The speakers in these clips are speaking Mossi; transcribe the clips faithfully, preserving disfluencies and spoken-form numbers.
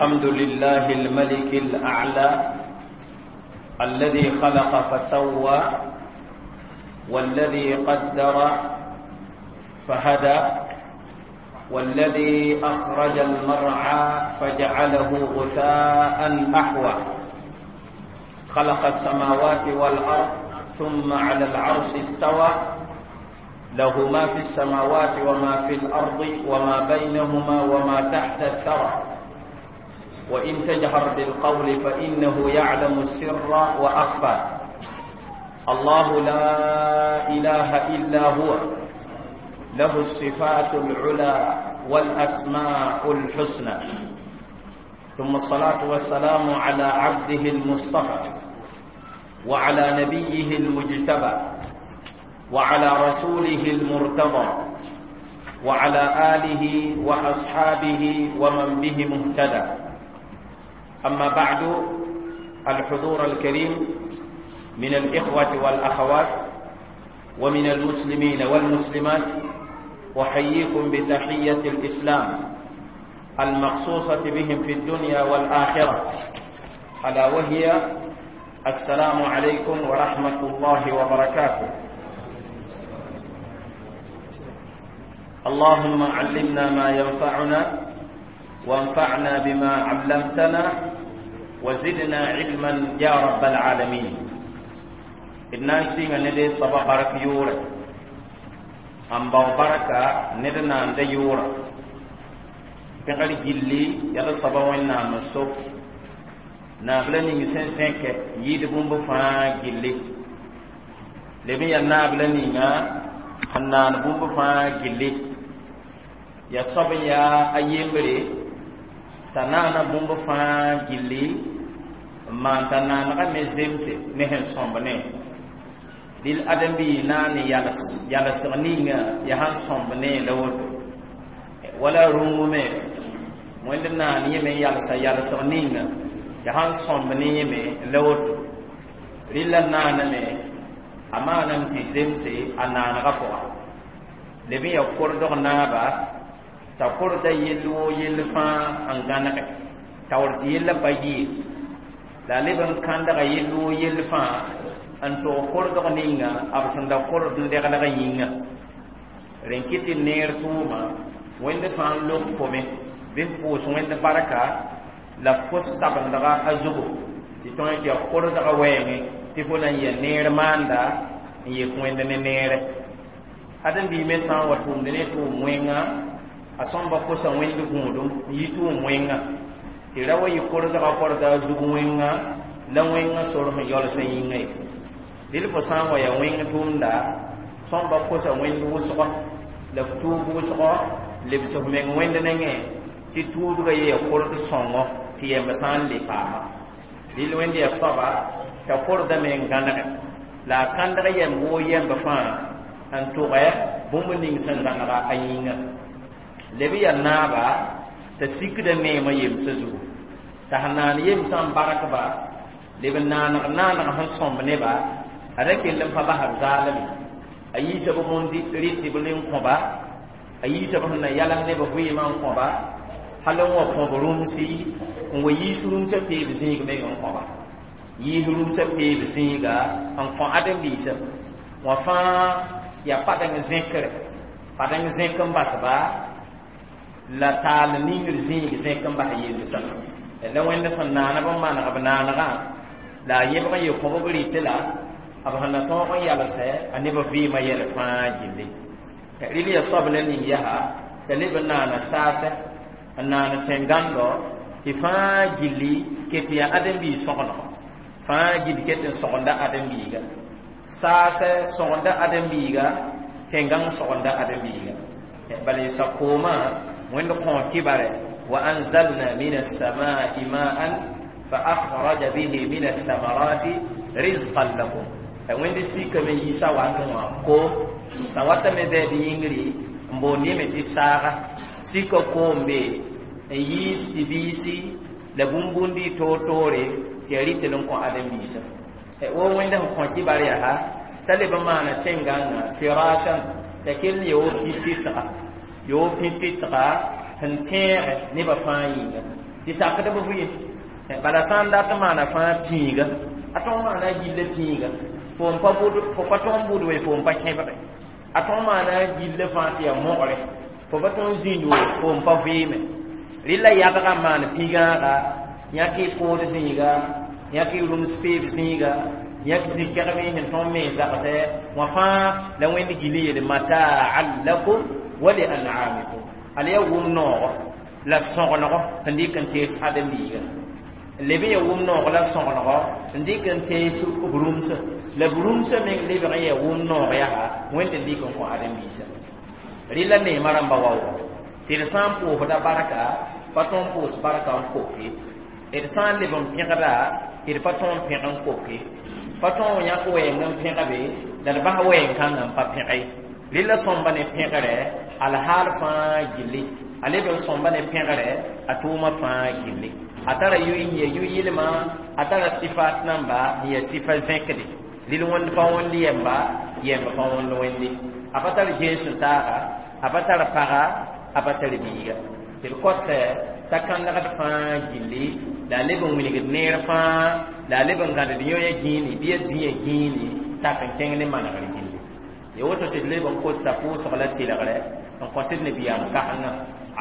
الحمد لله الملك الأعلى الذي خلق فسوى والذي قدر فهدى والذي أخرج المرعى فجعله غثاء أحوى. خلق السماوات والأرض ثم على العرش استوى، له ما في السماوات وما في الأرض وما بينهما وما تحت الثرى، وإن تجهر بالقول فإنه يعلم السر وأخفى. الله لا إله إلا هو، له الصفات العلى والأسماء الحسنى. ثم الصلاة والسلام على عبده المصطفى وعلى نبيه المجتبى وعلى رسوله المرتضى وعلى آله وأصحابه ومن به مهتدى. أما بعد، الحضور الكريم من الإخوة والأخوات ومن المسلمين والمسلمات، أحييكم بتحية الإسلام المخصوصة بهم في الدنيا والآخرة، ألا وهي السلام عليكم ورحمة الله وبركاته. اللهم علمنا ما ينفعنا وانفعنا بما علمتنا وزدنا علما يا رب العالمين. الناس ندي صبا برك يورا أم بركة ندنا ند يورا بغير جلي يلا صبا وين نامسوب نابلني نسين سينك يد بومب فا جلي لمي يا نابلني نا أنان بومب فا جلي يا صبا يا أيمري تنانا بومب فا جلي ما تنانا مزمسي نهن صومبني dil adam bi nani yalas yalas ninga yahan sombne lawot wala rungume wẽnd naan yẽme yalsa yalsg ninga ya sãn sõmb ne yẽme la woto rɩla naaname a maaname tɩ zemse a naanegã pʋga leb n ya kordg naaba t'a korda yell woo yell fãa n gãnege taoor tɩ yellã pa yɩɩ la a leb n kãndga yell woo yell fãa n tog kordg ninga b sẽn da kord n deglg yĩnga rẽn kɩ tɩ neer tʋʋma wẽnd sã n lok fome bɩ f pʋʋs wẽnd barka la f kos tabendga a zugu tɩ tõe tɩ ya kordga wɛɛngẽ tɩ fo na n ya neer maanda n yek wẽnd ne neere ãdem-biig me sã n wa tʋʋmd ne tʋʋm wẽnga a sõmba kosa wẽnd gũudum n yi tʋʋm wẽnga tɩ ra wa yɩ kordga korda a zug wẽnga la wẽnga sor sẽn yaols n yĩnga ye dɩl fo sã n wa ya wẽng tʋʋmda sõmba kosa wẽnd wʋsgɔ la f tuub wʋsgɔ lebs f meng wẽnd nengẽ tɩ tuubga ye ya kord sõngo tɩ yɛmb sã n le paama dɩl wẽnd ya soaba t'a kordame n gãnege la a kãndg yɛmb woo yɛmb fãa n tʋgɛ bũmb ning sẽn zãnega a yĩnga leb ya naaba t'a sikda neemã yemsã zugu t'a sẽn naan yemsã n barkba leb n naaneg naaneg sẽn sõmb neba a ra kell n pa basb zaalme a yiisa b bũnd rɩtb n kõba a yiisa b sẽn na yalem neb vɩɩmã n kõba hal n wa kõb rũmsi n wa yiis rũmsã peeb zĩig meng n kõba yiis rũmsã peeb zĩiga n kõ ãdem-biisã wã fãa ya padeng zẽkre padeng zẽk n basba la taal ningr zĩig zẽk n bas yellsã la wẽnd sẽn naanb n maneg b naanegã la a yẽbg n ye kõb b rɩt la b sẽn na tõog n yalsɛ a neb vɩɩmã yɛl fãa gilli rɩl ya soab la ning yaa t'a leb n naana saasɛ n naan tẽn-gãndo tɩ fãa gilli ket yaa ãdem-biig sõgendgo fãa gill ket n sõgenda ãdem-biiga saasɛ sõgenda ãdem-biiga tẽn-gãng sõgenda ãdem-biiga bala sakoomã wẽnd kõ kibare wa anzalna min as-samaa'i ma'an fa akhraja bihi min ath-thamarati rizqan lakum wẽnd sikame yiisa wakẽ wã koom sã watame bɛɛd yĩngri n boond yẽme tɩ saaga sika koom be n yiis tɩ biisi la bũmb-bũndi toor-toore tɩ ya rɩtl n kõ ãdem-biisã wo wẽnd sẽn kõ kibar yaa t'a leb n maana tẽn-gãngã firashan t'a kell n yaa wo pĩ-tɩtga yaa wo pĩ-tɩtga sẽn tẽege nebã fãa yĩnga Tɩ sakdb vɩɩm bala sã n dat n maana fãa pĩiga a tõog maana a gilla pĩiga fo n pa bʋd fo pa tõog n bʋd we fo n pa kẽbge a tõog maana a gilla fãa tɩ yaa mogre fo pa tõog n zĩnd we fo n pa vɩɩme rɩla yadgã n maan pĩgãaga yãk y kood zĩiga yãk y rũms peeb zĩiga yãk zĩ-kɛgme sẽn tõog me zagsɛ wã fãa la wẽnd gill n yeel mataan lakum wa li an'amikum ala yaa wʋm noogo la sõgenego n dɩk n tees ãdem-biiga leb n ya wʋm noog la sõgenego n dɩk n tees b rũmsã la b rũmsã meng lebg n yaa wʋm noog yaa wẽnd n dɩk n kõ ãdem-biisã rɩla neemã rãmba waoogo tɩ d sã n pʋʋsda barka pa tõog n pʋʋs barka n koke d sã n leb n pẽgda d pa tõog n pẽg n koke pa tõog n yãk wɛɛng n pẽga be la d bas wɛɛng kãngã n pa pẽge rɩla sõmba ne pẽgrɛ alhaal fãa gilli a leb n sõmba ne pẽgrɛ a tʋʋmã fãa gilli a tara yʋy n yɛ yʋ-yɩlma a tara sifat namba n yɛ sifa zẽkde rɩl wẽnd pa wẽnd yɛmba yɛmb pa wẽnd wẽnde a pa tar ges n taaga a pa tar paga a pa tar biiga tɩ d kõt t'a kãndgd fãa gilli la a leb n wilgd neer fãa la a leb n gãded yõ-yã gĩini bɩ ya dĩyã gĩini tak n kẽng ne manegr gilli ya woto tɩ d leb n kota pʋʋsg la tɩlgrɛ n kõ tɩ d nabiyaam kasengã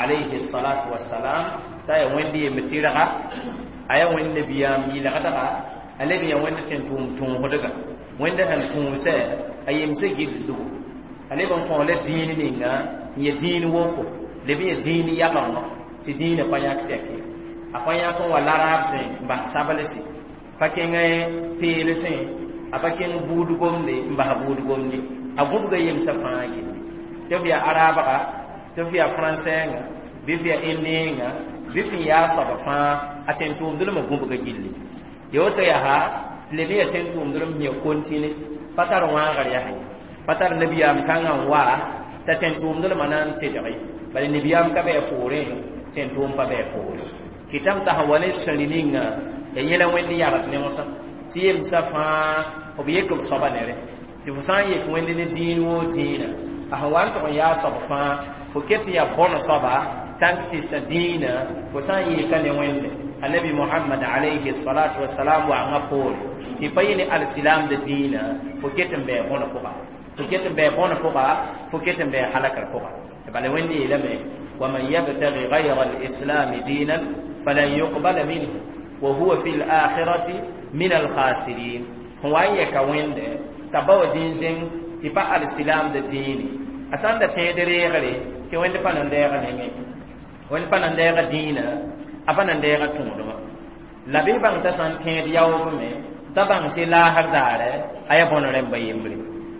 alayhi salatu wasalam t'a ya wẽnd yemb tɩrga a yaa wẽnd nabiyaam yɩlgdga a leb n yaa wẽnd tẽn tʋʋm tõosdga wẽnd sẽn tũusɛ a yemsã gill zugu a leb n kõ la dĩin ninga n ya dĩin woko leb n ya dĩin yagengo tɩ dĩinã pa yãk tɛke a pa yãk n wa laraab sẽ n bas sablse pa kẽng peelsẽ a pa kẽng buud gomde n bas buud gomde a gũbga yemsã fãa gilli tɩ f yaa araabga tɩ f yaa fãnsɛɛngã bɩ f yaa indẽengã bɩ f yaa soab fãa a tẽn tʋʋmdlmã gũbga gilli ya woto yaa tɩ leb n yaa tẽn tʋʋmdlm sẽn yaa kontine pa tar wãagr yaa ye pa tar nabiyaam kãngã n wa t'a tẽn tʋʋmdlmã na n tedge bala nabiyaam ka bɩ a poorẽ tẽn tʋʋm pa bɩ a poore kɩtame t'a sẽn wa ne sãri ninga ya yẽla wẽnd yagd ne wãsã tɩ yemsã fãa b yek b soaba nere tɩ fo sã n yek wẽnd ne dĩin woo dĩinã a sẽn wa n tʋg n yaa soab fãa fo ket tɩ yaa bõn soaba tãnk tɩ sã dĩinã fo sã n yeeka ne wẽnde annabi muhammad alayhi salatu wasalam wa'anga poore tɩ pa yẽ ne alsilamda dĩinã fo ket n bɩ bõn pʋga fo ket n bɩ bõn pʋga fo ket n bɩ halakr pʋga bala wẽnd yeelame ومن يبتغي غير الإسلام دينا فلن يقبل منه وهو في الآخرة من الخاسرين هو أن يكوين تبو دين زين تبا الإسلام ديني أسان دا تيدري tɩ wẽnd pa nan deega nengẽ wẽnd pa nan deega dĩinã a pa nan deega tõodmã la bɩ bãng t'a sã n tẽed yaoobme me t'a bãng tɩ laasr daare a yaa bõn rẽmba yembre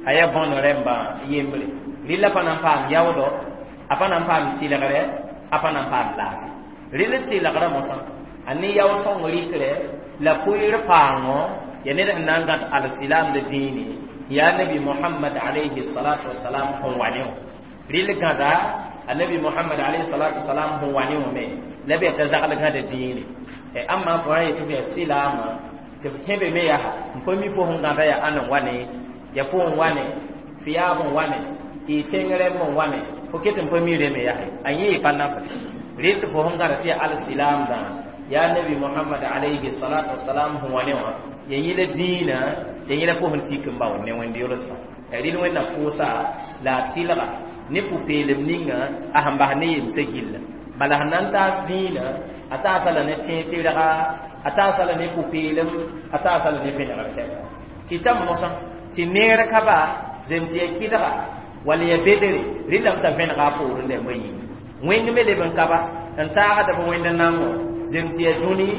a yaa bõn rẽmba yembre rɩla pa nan paam yaoodo a pa nan paam tɩlgre a pa nan paam laafɩ rɩl tɩlgrã mosã a ne yao sõng rɩkrɛ la pʋɩɩr paango ya ned sẽn na n gãd alsilamda dĩine yaa nabi muhammad alayhi salatu wasalam sẽn wa ne wã rɩl gãda annabi muhammad alayhi salatu wasalam sẽn wa ne wã me la bɩ t'a zagl gãda dĩine amma fo ra yetɩ f yaa silaamã tɩ f kẽ be me yaa n pa mi fo sẽn gãda yaa ãn n wa ne ya fo n wa ne f yaab n wa ne y tẽng rẽmb n wa ne fo ket n pa mi reme yaa a yẽ y pa nafd rɩl tɩ fo sẽn gãda tɩ yaa alsilaamdã yaa nabi muhammad alayhi salatu wasalam sẽn wa ne wã ya yẽla dĩinã ya yẽla fo sẽn tik n bao ne wẽnd yolsma rɩl wẽnnaam pʋʋsa la a tɩlga ne pʋ-peelem ninga a sẽn bas ne yemsã gilla bala sẽn na n taas dĩinã a taasa la ne tẽeg tɩrga a taasa la ne pʋ-peelem a taasa la ne vẽnegr tɛka kɩtame mosã tɩ neer ka ba zem tɩ ya kɩdga wala ya bedre rɩlame t'a vẽnega a poorẽ dãmbã yĩnga wẽng me leb n ka ba n taagda b wẽnd nango zem tɩ ya dũni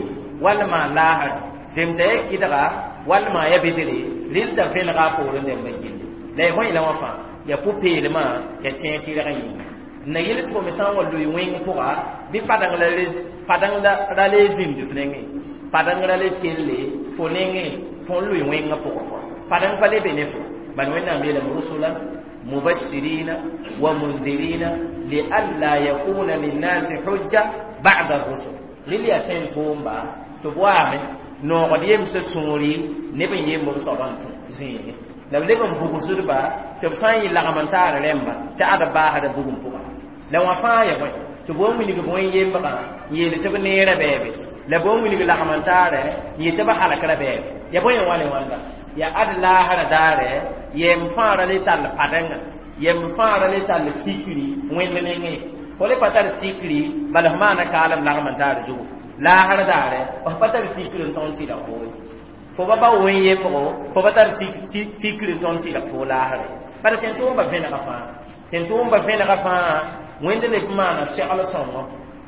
wall maan laasr zem t'a ya kɩdga wall maan ya bedre rɩl t'a vẽnega a poorẽ dãmbã gilli la ya bõe la wã fãa ya pʋ-peelmã ya tẽeg tɩrgã yĩnga n na yɩl tɩ fo me sã n wa loe wẽng pʋga bɩ padeng la padeng ra le zĩmd f nengẽ padeng ra le kelle fo nengẽ fo n loe wẽngã pʋgẽ padeng pa le be ne fo bal wẽnnaam yeelame rusulan mubashirina wa mundirina lialla yakuna linnasi hujja ba'da rusul rɩl yaa tẽn tʋʋmba tɩ b waame noogd yemsã sũuri neb n yemb b soabã n tũ zĩige la b leb n bugsdba tɩ b sã n yɩ lagm n taar rẽmba tɩ ad baasda bugum pʋga la wã fãa ya bõe tɩ Tɩ b wa wilg bõe yembgã n yeel tɩ b neerã bɛɛbe la b wa wilg lagm-n-taarɛ n yet tɩ b halkra bɛɛbe ya bõe n wa ne wãnda ya ad laasrã daare yem fãa ra le tall padengã yem fãa ra le tall tikri wẽnd nengẽ fo le pa tar tikri bala f maana kaalem lagm n taar zugu laasr daare f pa tar tikri n tõnd tɩlg fo fo ba ba wẽn yembgo fo pa tar tikri n tõnd tɩlg fo laasre bala tẽn-tʋʋmba vẽnega fãa tẽn-tʋʋmba vẽnega fãa wẽnd leb maana segl sõngo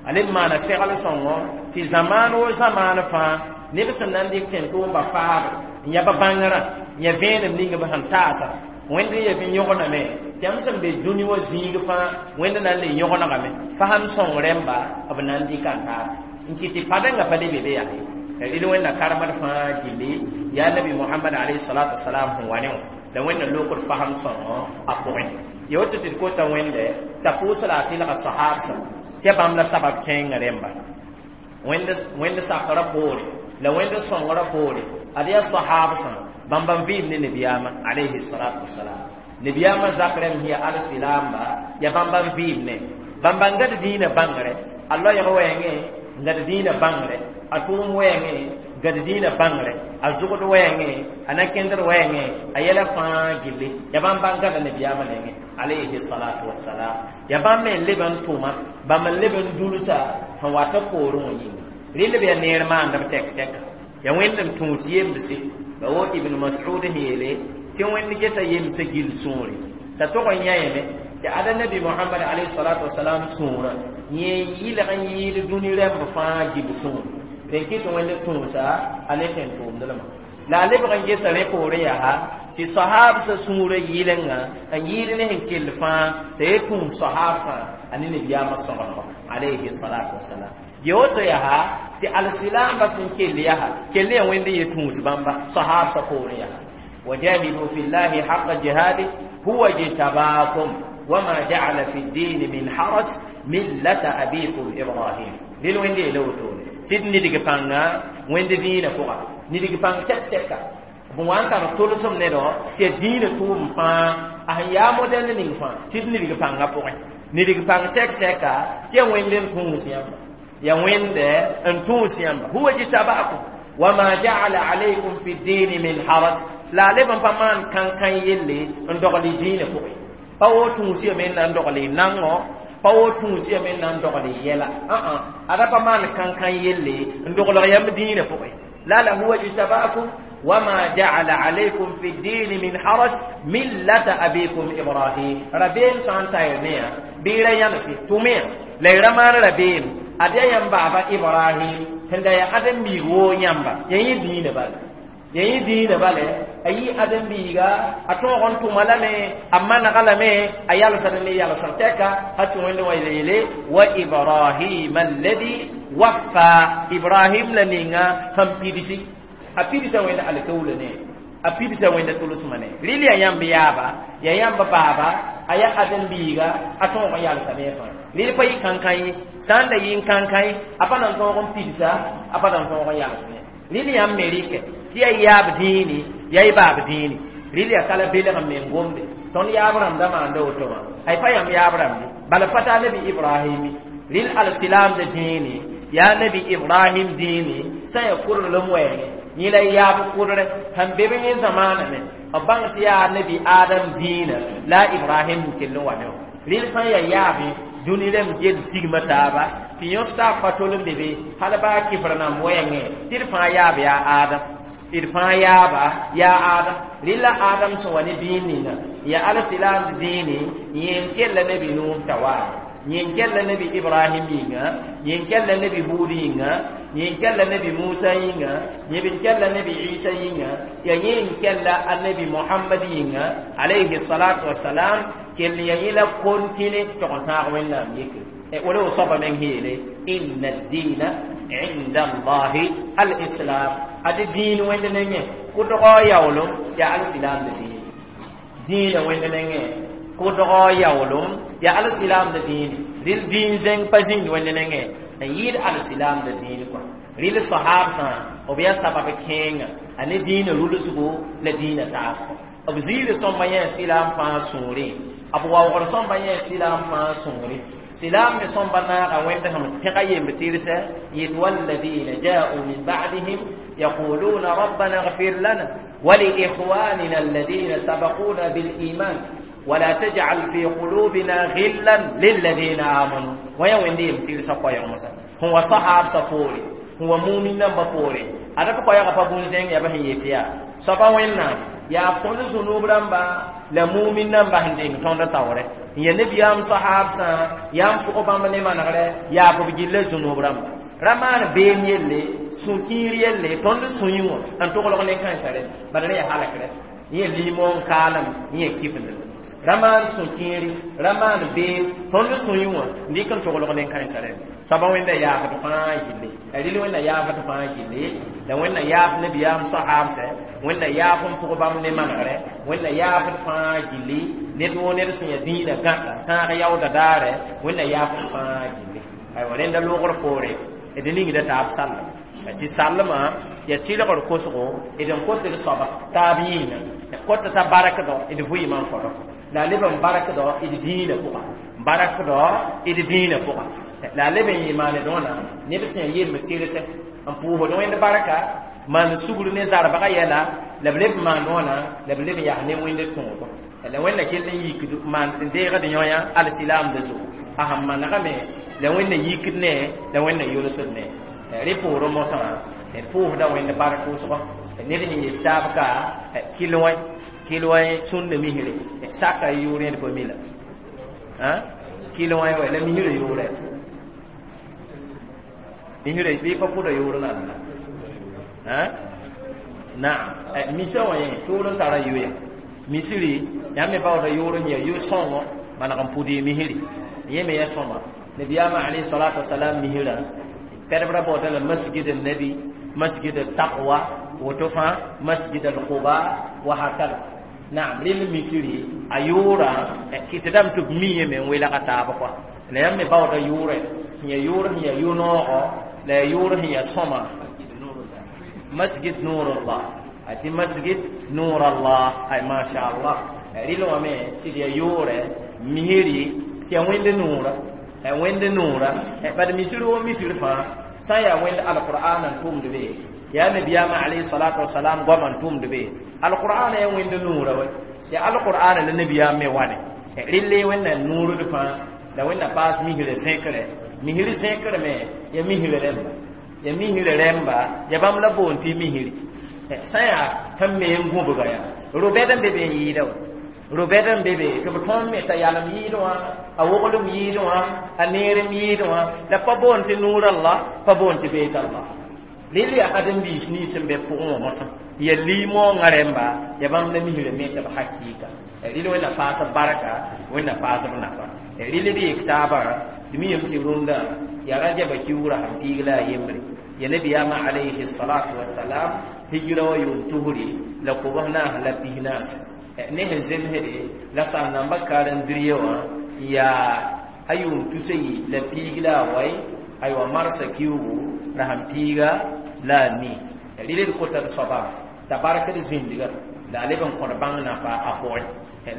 a leb maana segl sõngo tɩ zamaan wo zamaan fãa neb sẽn na n dɩk tẽn-tʋʋmba faabre n ya ba bãngrã n ya vẽenem ning b sẽn taasa wẽnd n yeb n yõgename tɩ yãmb sẽn be dũni wã zĩig fãa wẽnd na n le yõgenegame fasem sõng rẽmba b na n dɩka n taasa n kɩt tɩ padengã pa le be be yaa ye rɩl wẽnna karemd fãa gilli yaa nabi mohamad alayhi salatu wasalam sẽn wa ne wã la wẽnna lokd fasem sõngo a pʋgẽ ya woto tɩ d kota wẽnde t'a pʋʋs la a tɩlga sahabsã tɩ ya bãmb la sabab kẽengã rẽmba wẽnd sakrã poore la wẽnd sõngrã poore ad yaa sahabsã bãmb n vɩɩm ne nabiyaamã alayhi salatu wasalam nabiyaamã zak rẽmb sẽn ya alsilamba ya bãmb n vɩɩm ne bãmb n gad dĩinã bãngre a loɛɛg wɛɛngẽ n gad dĩinã bãngre a tʋʋm wɛɛngẽ gad dĩinã bãngre a zʋgd wɛɛngẽ a na-kẽndr wɛɛngẽ a yɛla fãa gilli ya bãmb n gada nabiyaamã nengẽ alayhi salatu wasalam ya bãmb me n leb n tʋma bãmb n leb n dulsa sẽn wat b poorẽ wã yĩnga rɩl b yaa neer maandb tɛk tɛka ya wẽnd n tũus yemdse ba wo ibn mas'ud sẽn yeele tɩ wẽnd gesa yemsã gill sũure t'a tog n yãeme tɩ ada nabi mohamad alayhi salatu wasalam sũurã yẽ yɩlg n yɩɩd dũni rẽmb fãa gill sũur rẽn kɩ tɩ wẽnd tũusa a ne tẽn-tʋʋmdlmã la a lebg n gesa rẽ poorẽ yaa tɩ sahabsã sũurã yɩlenga n yɩɩd ne sẽn kell fãa t'a ye tũus sahabsã a ne nabiyaamã sõgengo alayhi salatu wasalam ya woto yaa tɩ alsilamba sẽn kell yaa kell ya wẽnd n ye tũus bãmba sahabsã poorẽ yaa وجاهدوا في الله حق جهاده هو اجتباكم وما جعل في الدين من حرج ملة أبيكم إبراهيم دين وين دي لو تون تid nidg pãnga wẽnd dĩinã pʋga nidg pãng tɛk tɛka b wa n tar tʋlsem nedɔ tɩ ya dĩinã tʋʋm fãa a sẽn yaa modɛnd ning fãa tɩ d nidg pãngã pʋgẽ nidg pãng tɛk tɛka tɩ ya wẽnd n tũus yãmba ya wẽnde n tũus yãmba huwa jtabakum wama ja'ala alaykum fi ddini min haraj la a leb n pa maan kãn-kãn yelle n dogl y dĩinã pʋgẽ pa wo tũus ya me n na n dogl y nango pa wo tũus ya me n na n dogl y yɛla ã ada pa maan kãn-kãn yelle n doglg yãmb dĩinã pʋgẽ la la huwa jtabakum وما جعل عليكم في الدين من حرج ملة أبيكم إبراهيم ربيم سان تايرنيا بيرا يمسي توميا ليرمان ربيم أدي يم بابا إبراهيم هندا يا أدم بيغو يمبا يي دين بال يي دين بال أي أدم بيغا أتوغن تومالامي أما نغلامي أيال سنني يال سنتكا هاتوين ويليلي وإبراهيم الذي وفى إبراهيم لنينا هم بيدسي a pidsa wẽnd alkawla ne a pidsa wẽnda tʋlsmã ne rɩl ya yãmb yaaba ya yãmb baaba a ya ãdem-biiga a tõog n yalsame fãa rɩl pa yɩ kãn-kã ye sã n da yɩ n kãn-kã ye a pa na n tõog n pidsa a pa na n tõog n yalsne rɩl yãmb me rɩkɛ tɩ ya yaab dĩini ya y baab dĩini rɩl ya kala belg n me n gomde tõnd yaab rãmbda maanda woto wã ay pa yãmb yaab rãmbe bala pa taa nabi ibrahimi rɩl alsilaamda dĩini yaa nabi ibrahim dĩini sã n ya kurlem wɛɛngẽ yẽ la yaab kʋdrɛ sẽn be b yẽ zamaana me b bãng tɩ yaa nabi adam dĩinã la a ibrahim n kell n wa ne wã rɩl sã n yaa yaabẽ dũni rẽmb gel tigmã taaba tɩ yõs taab pa tol n be be hal baa kɩfr nãmb wɛɛngẽ tɩ d fãa yaab yaa adam d fãa yaaba yaa adam rɩl la adam sẽn wa ne dĩin ninga yaa alsilaam dĩini yẽ n kella nabi nuh t'a waame yẽ n kella nabi ibrahim yĩnga yẽ n kella nabi hud yĩnga yẽ n kella nabi musa yĩnga yẽ n kella nabi isa yĩnga ya yẽ n kella annabi muhammad yĩnga alayhi salatu wasalam kell ya yẽ la kontine tog n tãag wẽnnaam yekre wala wo soaba meng yeele inna ad-dina inda allahi al-islam ade dĩin wẽnd nengẽ kʋdgɔ yaoolem ya alsilam de dĩin dĩinã wẽnd nengẽ kʋdgɔ yaoolem ya alsilam de dĩin rɩl dĩin zẽng pa zĩnd wẽnd nengẽ n yɩɩd alsilam de dĩin kɔa rɩl sahabsã b yaa sabab kẽenga a ne dĩinã rulsgo la dĩinã taasgo b ziir sõmba yẽ silaam fãa sũurẽ b waoogr sõmba yẽ silaam fãa sũurẽ Silam me sõmba naaga wẽnd sẽm pẽga yemb tɩrsa yet والذين جاءوا من بعدهم يقولون ربنا اغفر لنا ولإخواننا الذين سبقونا بالإيمان ولا تجعل في قلوبنا غلا للذين آمنوا. ويا وين يم تيرسا قوي موسى هو صحاب سفوري هو مؤمن نمبر فوري ada ko ya pa bunzeng ya ba yetiya saba wenna ya tõnd zunub rãmba la mumin namba sẽn deng tõnd taoore ya nebiyam sahab sã yam pʋgã bãmb ne manegre yaa b gilla zunub rãmba ra maan beem yelle sũ-kiir yelle tõnd sũ-yẽ wã n toglg ne kãensã rẽ bala rẽ ya halakre yẽ liimõ n kaalem yẽ kifnd ra maan sũ-kiiri ra maan beem tõnd sũ-yẽ wã n dɩk n toglg ne kãensã rẽ soaba wẽnda yaafd fãa gilli rɩl wẽnna yaafd fãa gilli la wẽnna yaaf nebiyaam sahabsɛ wẽnna yaaf n pʋg bãmb ne manegre wẽnna yaafd fãa gilli ned woo ned sẽn ya dĩinã gãda tãag yaooda daare wẽnna yaafd fãa gilli aywa rẽnda loogr poore d ningda taab sallem tɩ sallmã ya tɩlgr kosgo d n kot d soaba taab yĩnga kot t'a barakdɔ d vɩɩmã n kõdɔ la a leb n barakdɔ d dĩinã pʋga barakdɔ d dĩinã pʋga la a leb n yɩ maaned wãna neb sẽn yemb tɩrsɛ n pʋʋsd wẽnd barka maan sugr ne zarbga yɛla la b leb maand wãna la b leb n yaa ne wẽnd tõogo la wẽnna kell n yikd maan n deegd yõ-yã alsilaamda zugu a sẽn manegame la wẽnna yikd ne la wẽnna yolsd ne rẽ poorẽ mosã d pʋʋsda wẽnd bark wʋsgɔ ned sẽn yet taab ka kɩl wã kɩl wã sũnda misre saka yʋʋr yẽd pa mi la kɩl wã wa la misrã yʋʋrɛ misrã bɩ pa pʋda yʋʋr nan naam misa wã yẽ tʋʋr n tara yoya misri yãmb me baooda yʋʋr n ya yo-sõngo maneg n pʋd y misri yẽ me ya sõma nabiyaamã alayhi salatu wasalam misrã pɛdb ra baooda la masjid nabi masjid taqwa woto fãa masjid al-quba wa hakada naam rẽnd misri a yʋʋrã kɩtdame tɩ b miime me n welga taab kɔa la yãmb me baooda yʋʋrɛ sẽn ya yʋʋr sẽn ya yo-noogo la ya yʋʋr sẽn ya sõma masjid nurullah ati masjid nurallah ay masha Allah rɩl wã me sɩd ya yʋʋrɛ misri tɩ ya wẽnd nuura wẽnd nuura bad misri wo misri fãa sã n yaa wẽnd alqur'an n tʋmd be yaa nabiyaamã alayhi salatu wasalam goam n tʋmd be alqur'an ya wẽnd nuura wa ya alqur'an la nabiyaam me wane rɩlle wẽnna nuurd fãa la wẽnna paas misrã zẽkre misri zẽkre me ya misrã rẽmba ya misrã rẽmba ya bãmb la boond tɩ misri sã n yaa sẽn me n gũbga yaa robɛd n be be n yɩɩda wa robɛd n be be tɩ b tõnd me t'a yalem yɩɩd wã a woglem yɩɩd wã a neerem yɩɩd wã la pa boond tɩ nuur Allah pa boond tɩ beet Allah rɩl yaa ãdem-biis nins sẽn be pʋgẽ wã mosã ya liimoongã rẽmba ya bãmb la misrã me tɩ b hakɩɩka rɩl wẽnna paas b barka wẽnna paas b nafa rɩl b yek taabã tɩ mi yem tɩ rũndã ya rajaba kiuurã sẽn piig la a yembre ya nabiyaamã alayhi salatu wasalam hijra wa yʋʋm tusri la kobs naas la pis naas ne sẽn zemsde la sãn-nambã karen-drie wã yaa a yʋʋm tusa yi la piig la a wai aywa marsa kiugu la sẽn piiga la a nii rɩl d kota d soaba t'a barkd zĩndga la a leb n kõd bãng nafa a pʋgẽ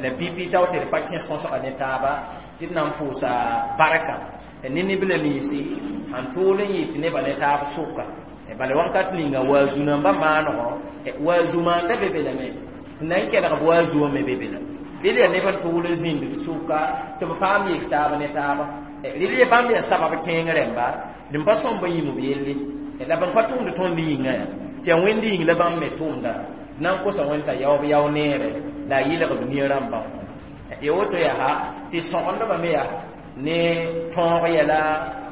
la pipi tao tɩ d pa kẽ sõsga ne taaba tɩ d na n pʋʋsa barka ne neb-la ninsi sãn tʋʋl n yɩ tɩ nebã ne taab sʋka bala wãnkat ninga waazu nambã maanego waazu maanda be be lame tɩ na n kelg b waazu wã me be be la rɩl yaa neb n tʋʋl n zĩnd d sʋka tɩ b paam yek taab ne taaba rɩl ya bãmb yaa sabab kẽeng rẽmba dẽn pa sõmb n yĩmb yelle la bãmb pa tʋmd tõnd yĩnga yaa tɩ yaa wẽnd yĩng la bãmb me tʋmda na n kosa wẽnd t'a yaoob yao neere la a yɩlg b nia rãmbã ya woto yaa tɩ sõgendbã me yaa ne tõog yɛla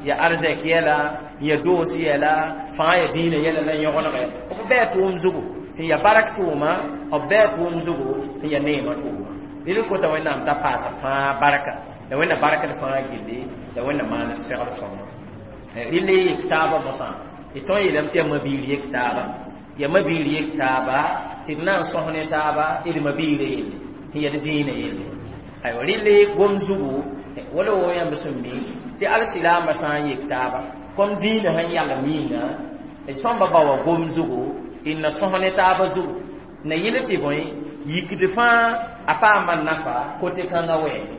ya arzɛk yɛla ya doos yɛla fãa ya dĩinã yɛla la yõgenegɛ b bɛɛ tʋʋm zugu tɩ ya barak tʋʋma b bɛɛ tʋʋm zugu tɩ ya neemã tʋʋma rɩl kota wẽnnaam t'a paasa fãa barka la wẽnna barkd fãa gilli la wẽnna maan d segd sõma rɩl yek taabã mosã d tõe n yeelame tɩ yaa mabiir yek taaba ya mabiir yek taaba tɩ d na n sõs ne taaba d mabiirã yelle tɩ ya d dĩinã yelle aywa rɩl gom zugu wala wo yãmb sẽn mi tɩ alsilaambã sã n yek taaba kom dĩinã sẽn yalem yĩnga d sõmba ba wa gom zugu d na sõs ne taaba zugu na yɩl tɩ bõe yikd fãa a paama nafa kote kãngã wɛɛne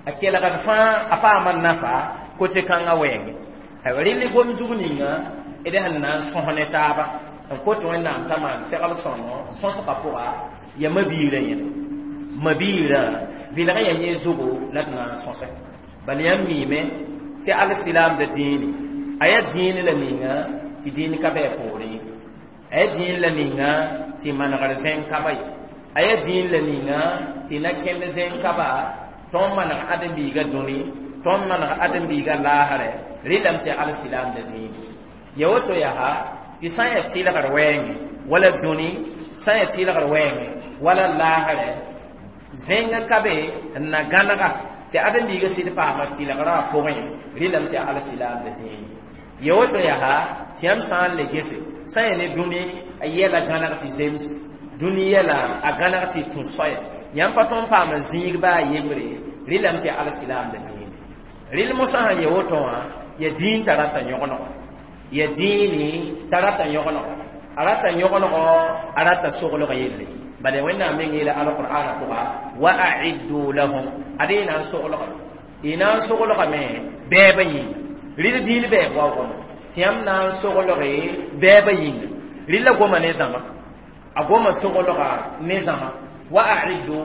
A kelgd fãa a paama nafa kote kãngã wɛɛngẽ. Aywa rɩl gom zug ninga d sẽn na n sõs ne taaba n kot Wẽnnaam t'a maan segl sõngo sõsgã pʋga ya mabiirã yẽla mabiirã vɩlg ya yẽ zugu la d na n sõse bal yãmb miime tɩ alsilaamda dĩini a yaa dĩin la ninga tɩ dĩin ka bɩ a poorẽ a yaa dĩin la ninga tɩ manegr zẽng ka ba ye a yaa dĩin la ninga tɩ na kẽnd zẽng ka ba tõnd maneg ãdem-biigã dũni tõnd maneg ãdem-biigã laasrɛ rɩlame tɩ alsilaamda dĩini ya woto yaa tɩ sã n yaa tɩlgr wɛɛngẽ wala dũni sã n yaa tɩlgr wɛɛngẽ wala laasrɛ zẽngã ka be n na gãnega tɩ ãdem-biigã sɩd paama tɩlgrã wã pʋgẽ rɩlame tɩ alsilaamda dĩini ya woto yaa tɩ yãmb sã n le gese sã n yaa ne dũni a yɛla gãneg tɩ zems dũni yɛla a gãneg tɩ tũ soaya yãmb pa tõnd paama zĩig baa a yembre rɩlame tɩ alsilaamda dĩini rɩl mosã sã n ya woto wã ya dĩin t'a rata yõgenego ya dĩini t'a rata yõgenego a rata yõgenego a rata soglg yelle bala Wẽnnaam meng yeela alqur'ana pʋga wa aiddu lahum ad y na n soglgame y na n soglgame bɛɛbã yĩnga rɩl dĩin bɛɛb waoogame tɩ yãmb na n soglge bɛɛbã yĩnga rɩl la goma ne zãma a goma soglga ne zãma wa aiddu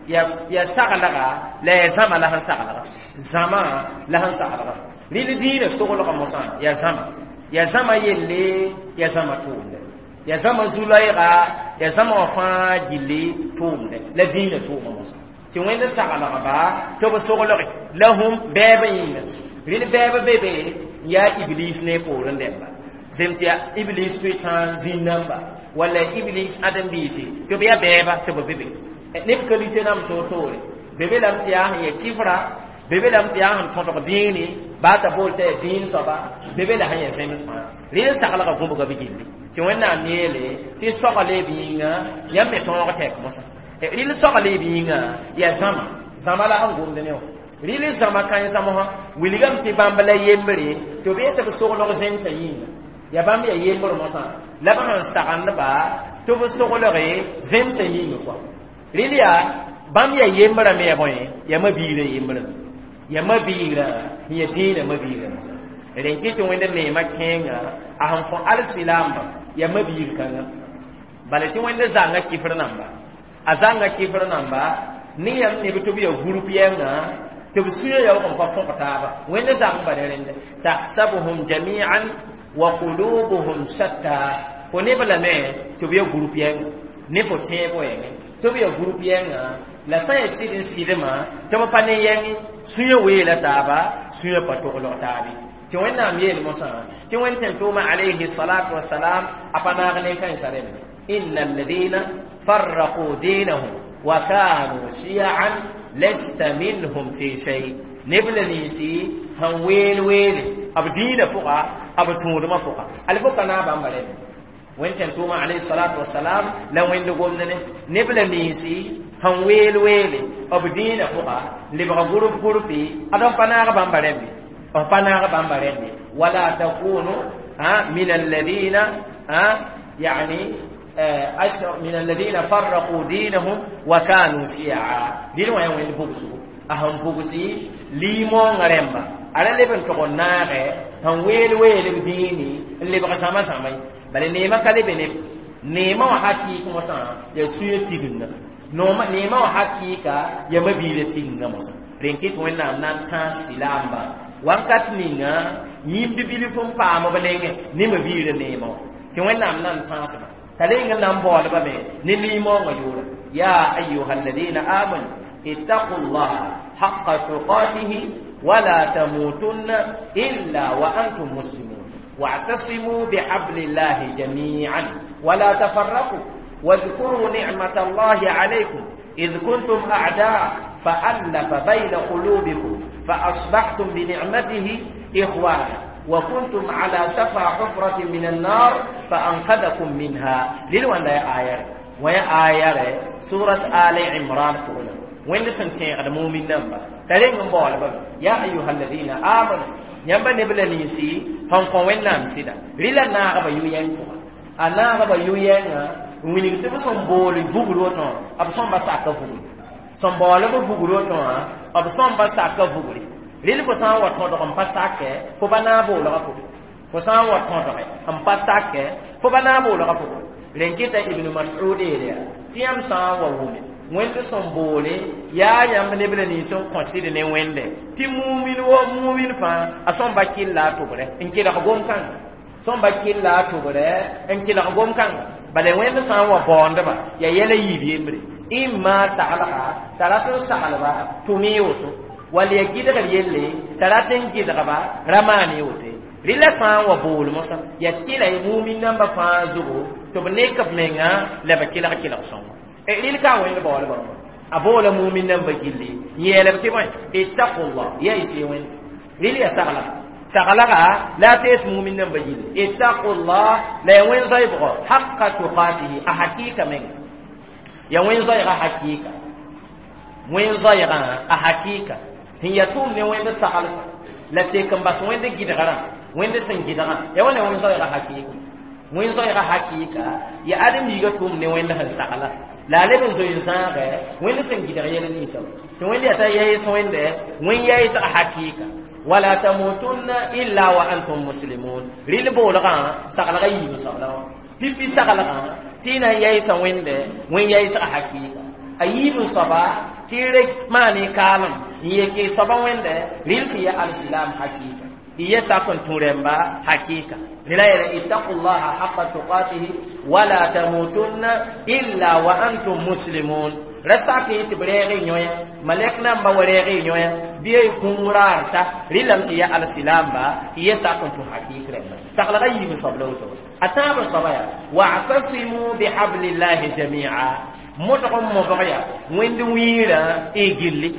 ya ya saglga la ya zãma la sẽn saglga zãma la sẽn saglga rɩl dĩinã soglga mosã ya zãma ya zãma yelle ya zãma tʋʋmdɛ ya zãma zu-loɛɛga ya zãma wã fãa gilli tʋʋmdɛ la dĩinã tʋʋma mosã tɩ Wẽnd saglgba tɩ b soglge lahum bɛɛbã yĩnga rɩl bɛɛbã be be n yaa iblis ne poorẽ dẽmba zem tɩ yaa iblis tʋ tã zĩn-namba walla iblis ãdem-biisi tɩ b yaa bɛɛba tɩ b be be neb kalite nam toor-toore be be lame tɩ yaa sẽn ya kifra be be lame tɩ yaa sẽn tõdg dĩini baa t'a bool t'a yaa dĩin soaba be be la sẽn ya zems fãa rɩl saglga gũbga b gilli tɩ Wẽnnaam yeele tɩ sogle b yĩnga yãmb me tõog tɛk mosã rɩl sogle b yĩnga yaa zãma zãma la sẽn gomd ne wã rɩl zãma kãensã mosã wilgame tɩ bãmb la yembre tɩ b yetɩ b soglg zemsã yĩnga ya bãmb ya yembr mosã la b sẽn sagendba tɩ b soglge zemsã yĩnga kɔa rɩl yaa bãmb ya yembrã me ya bõe ya mabiirã yembrã ya mabiirã n ya dĩinã mabiirã mosã rẽn kɩ tɩ Wẽnd neemã kẽenga a sẽn kõ alsilaambã ya mabiir kãngã bala tɩ Wẽnd zãnga kifr namba a zãnga kifr namba ne yãmb neb tɩ b ya gũrp yɛnga tɩ b sũyã yaoog n pa fõg taaba Wẽnd zãng ba ne rẽnda tahsabuhum jami'an wa qulubuhum shatta fo neb lame tɩ b ya gũrp yɛnga ne fo tẽeb wɛɛngẽ tɩ b ya gũrp yɛnga la sã n yaa sɩd n sɩdmã tɩ b pa ne yɛngẽ sũyã weela taaba sũyã pa toglg taabe tɩ Wẽnnaam yeel mosã tɩ Wẽnd tẽn-tʋʋma alayhi salatu wasalam a pa naag ne kãensã rẽmbe inna alladina farraqu dinahum wa kanu shi'an lasta minhum fi shay neb la ninsi sẽn weel weele b dĩinã pʋga b tũudmã pʋga al fo ka naag bãmba rẽmbe Wẽnd tẽn-tʋʋma alayhi salatu wasalam la Wẽnd gomd ne neb la ninsi sẽn weel weele b dĩinã pʋga lebg gʋrp gʋrpi ad f pa naag bãmba rẽmbe f pa naag bãmba rẽmbe wala takunu min alladina yani من الذين فرقوا دينهم وكانوا شيعا دين وين وين بوغسو أهم بوغسي ليمون رمبا على اللي بنتقو ناغي هن ويل ويل ديني اللي بغا سما سما بل نيما كالي بنب نيما وحقيقة مسا يا سوية تيغنا نوما نيما وحقيقة يا مبيلة تيغنا مسا رنكيت وين نام نام تان سلامبا wakat ninga yĩmb bilf n paam b nengẽ ne mabiirã neemã wã tɩ Wẽnnaam na n tãasba t'a reng n na n baoolbame ne liimoongã yʋʋra ya ayuha alladina amanu ittaqu llaha haqa tuqatihi wala tamutunna illa wa antum muslimun واعتصموا بحبل الله جميعا ولا تفرقوا واذكروا نعمة الله عليكم إذ كنتم أعداء فألف بين قلوبكم فأصبحتم بنعمته إخوانا وكنتم على شفا حفرة من النار فأنقذكم منها للوان لا آية ويا آية سورة آل عمران تقول وين سنتين على مؤمن نمبر ترين من بول يا أيها الذين آمنوا yãmba neb la ninsi sẽn kõ Wẽnnaam sɩda rɩla naagba yʋ-yɛng pʋga a naagba yʋ-yɛngã n wilg tɩ b sẽn bool vugr woto b sõmba saka vugr sẽn baool b vugr woto wã b sõmba saka vugri rɩl fo sã n wa tõdg n pa sake fo ba naag boolga pʋgẽ fo sã n wa tõdge n pa sake fo ba naag boolga pʋgẽ rẽn kɩta ibn mas'ud yeele yaa tɩ yãmb sã n wa wʋme wẽnd sẽn boole yaa yãmb neb la nins n kõ sɩd ne wẽnde tɩ mumin wo mumin fãa a sõmba kɩlla a tʋbrɛ n kelg gom-kãnga sõmba kɩlla a tʋbrɛ n kelg gom-kãnga bala wẽnd sã n wa baoondba yaa yɛla yiib yembre imma saglga t'a rat n saglba tʋm-y woto wall ya gɩdgr yelle t'a rat n gɩdgba ra maan y woto rɩla sã n wa bool mosã ya tɩla y mumin namba fãa zugu tɩ b nek b menga la b kelg kelg sõngo rɩl ka wẽnd baoolbã a boola mumin namba gilli yeelb tɩ bõe ittaqullah ya y sɩ wẽnd rɩl ya saglga saglga la a tees mumin namba gilli ittaqullah la ya wẽn zoɛbgo haqa tuqatihi a hakika menga ya wẽn zoɛɛga hakika wẽn zoɛɛgã a hakika sẽn ya tʋʋm ne wẽnd saglsã la tek n bas wẽnd gɩdgrã wẽnd sẽn gɩdgã ya wãna wẽn zoɛɛga hakika wẽn zoɛɛga hakika ya ãdem-biigã tʋʋm ne wẽnd sẽn sagla la a leb n zoe n zãagɛ wẽnd sẽn gɩdg yɛl ninsã tɩ wẽnd yaa t'a yaɩs wẽnde wẽn yaɩsga hakika wala tamutunna illa wa antum muslimun rɩl boolgã saglga yiib soabla wã pipi saglgã tɩ y na n yaɩsa wẽnde wẽn yaɩsga hakika a yiib n soaba tɩ y rek maan y kaalem n yek y soaba wẽnde rɩl tɩ ya alsilam hakika y ye sak n tũ rẽmba hakika rela yeele ittaqullaha haqa tuqatihi wala tamutunna illa wa antum muslimun ra sak y tɩ b reeg y yõya malɛk namba wa reeg y yõya bɩ y kũum raar ta rɩlame tɩ ya alsilamba y ye sak n tũ hakik rẽmba saglga yiib n soab la woto a tãab n soaba yaa wa'tasimu bihablillahi jamia modg n mobg yaa wẽnd wĩirã y gilli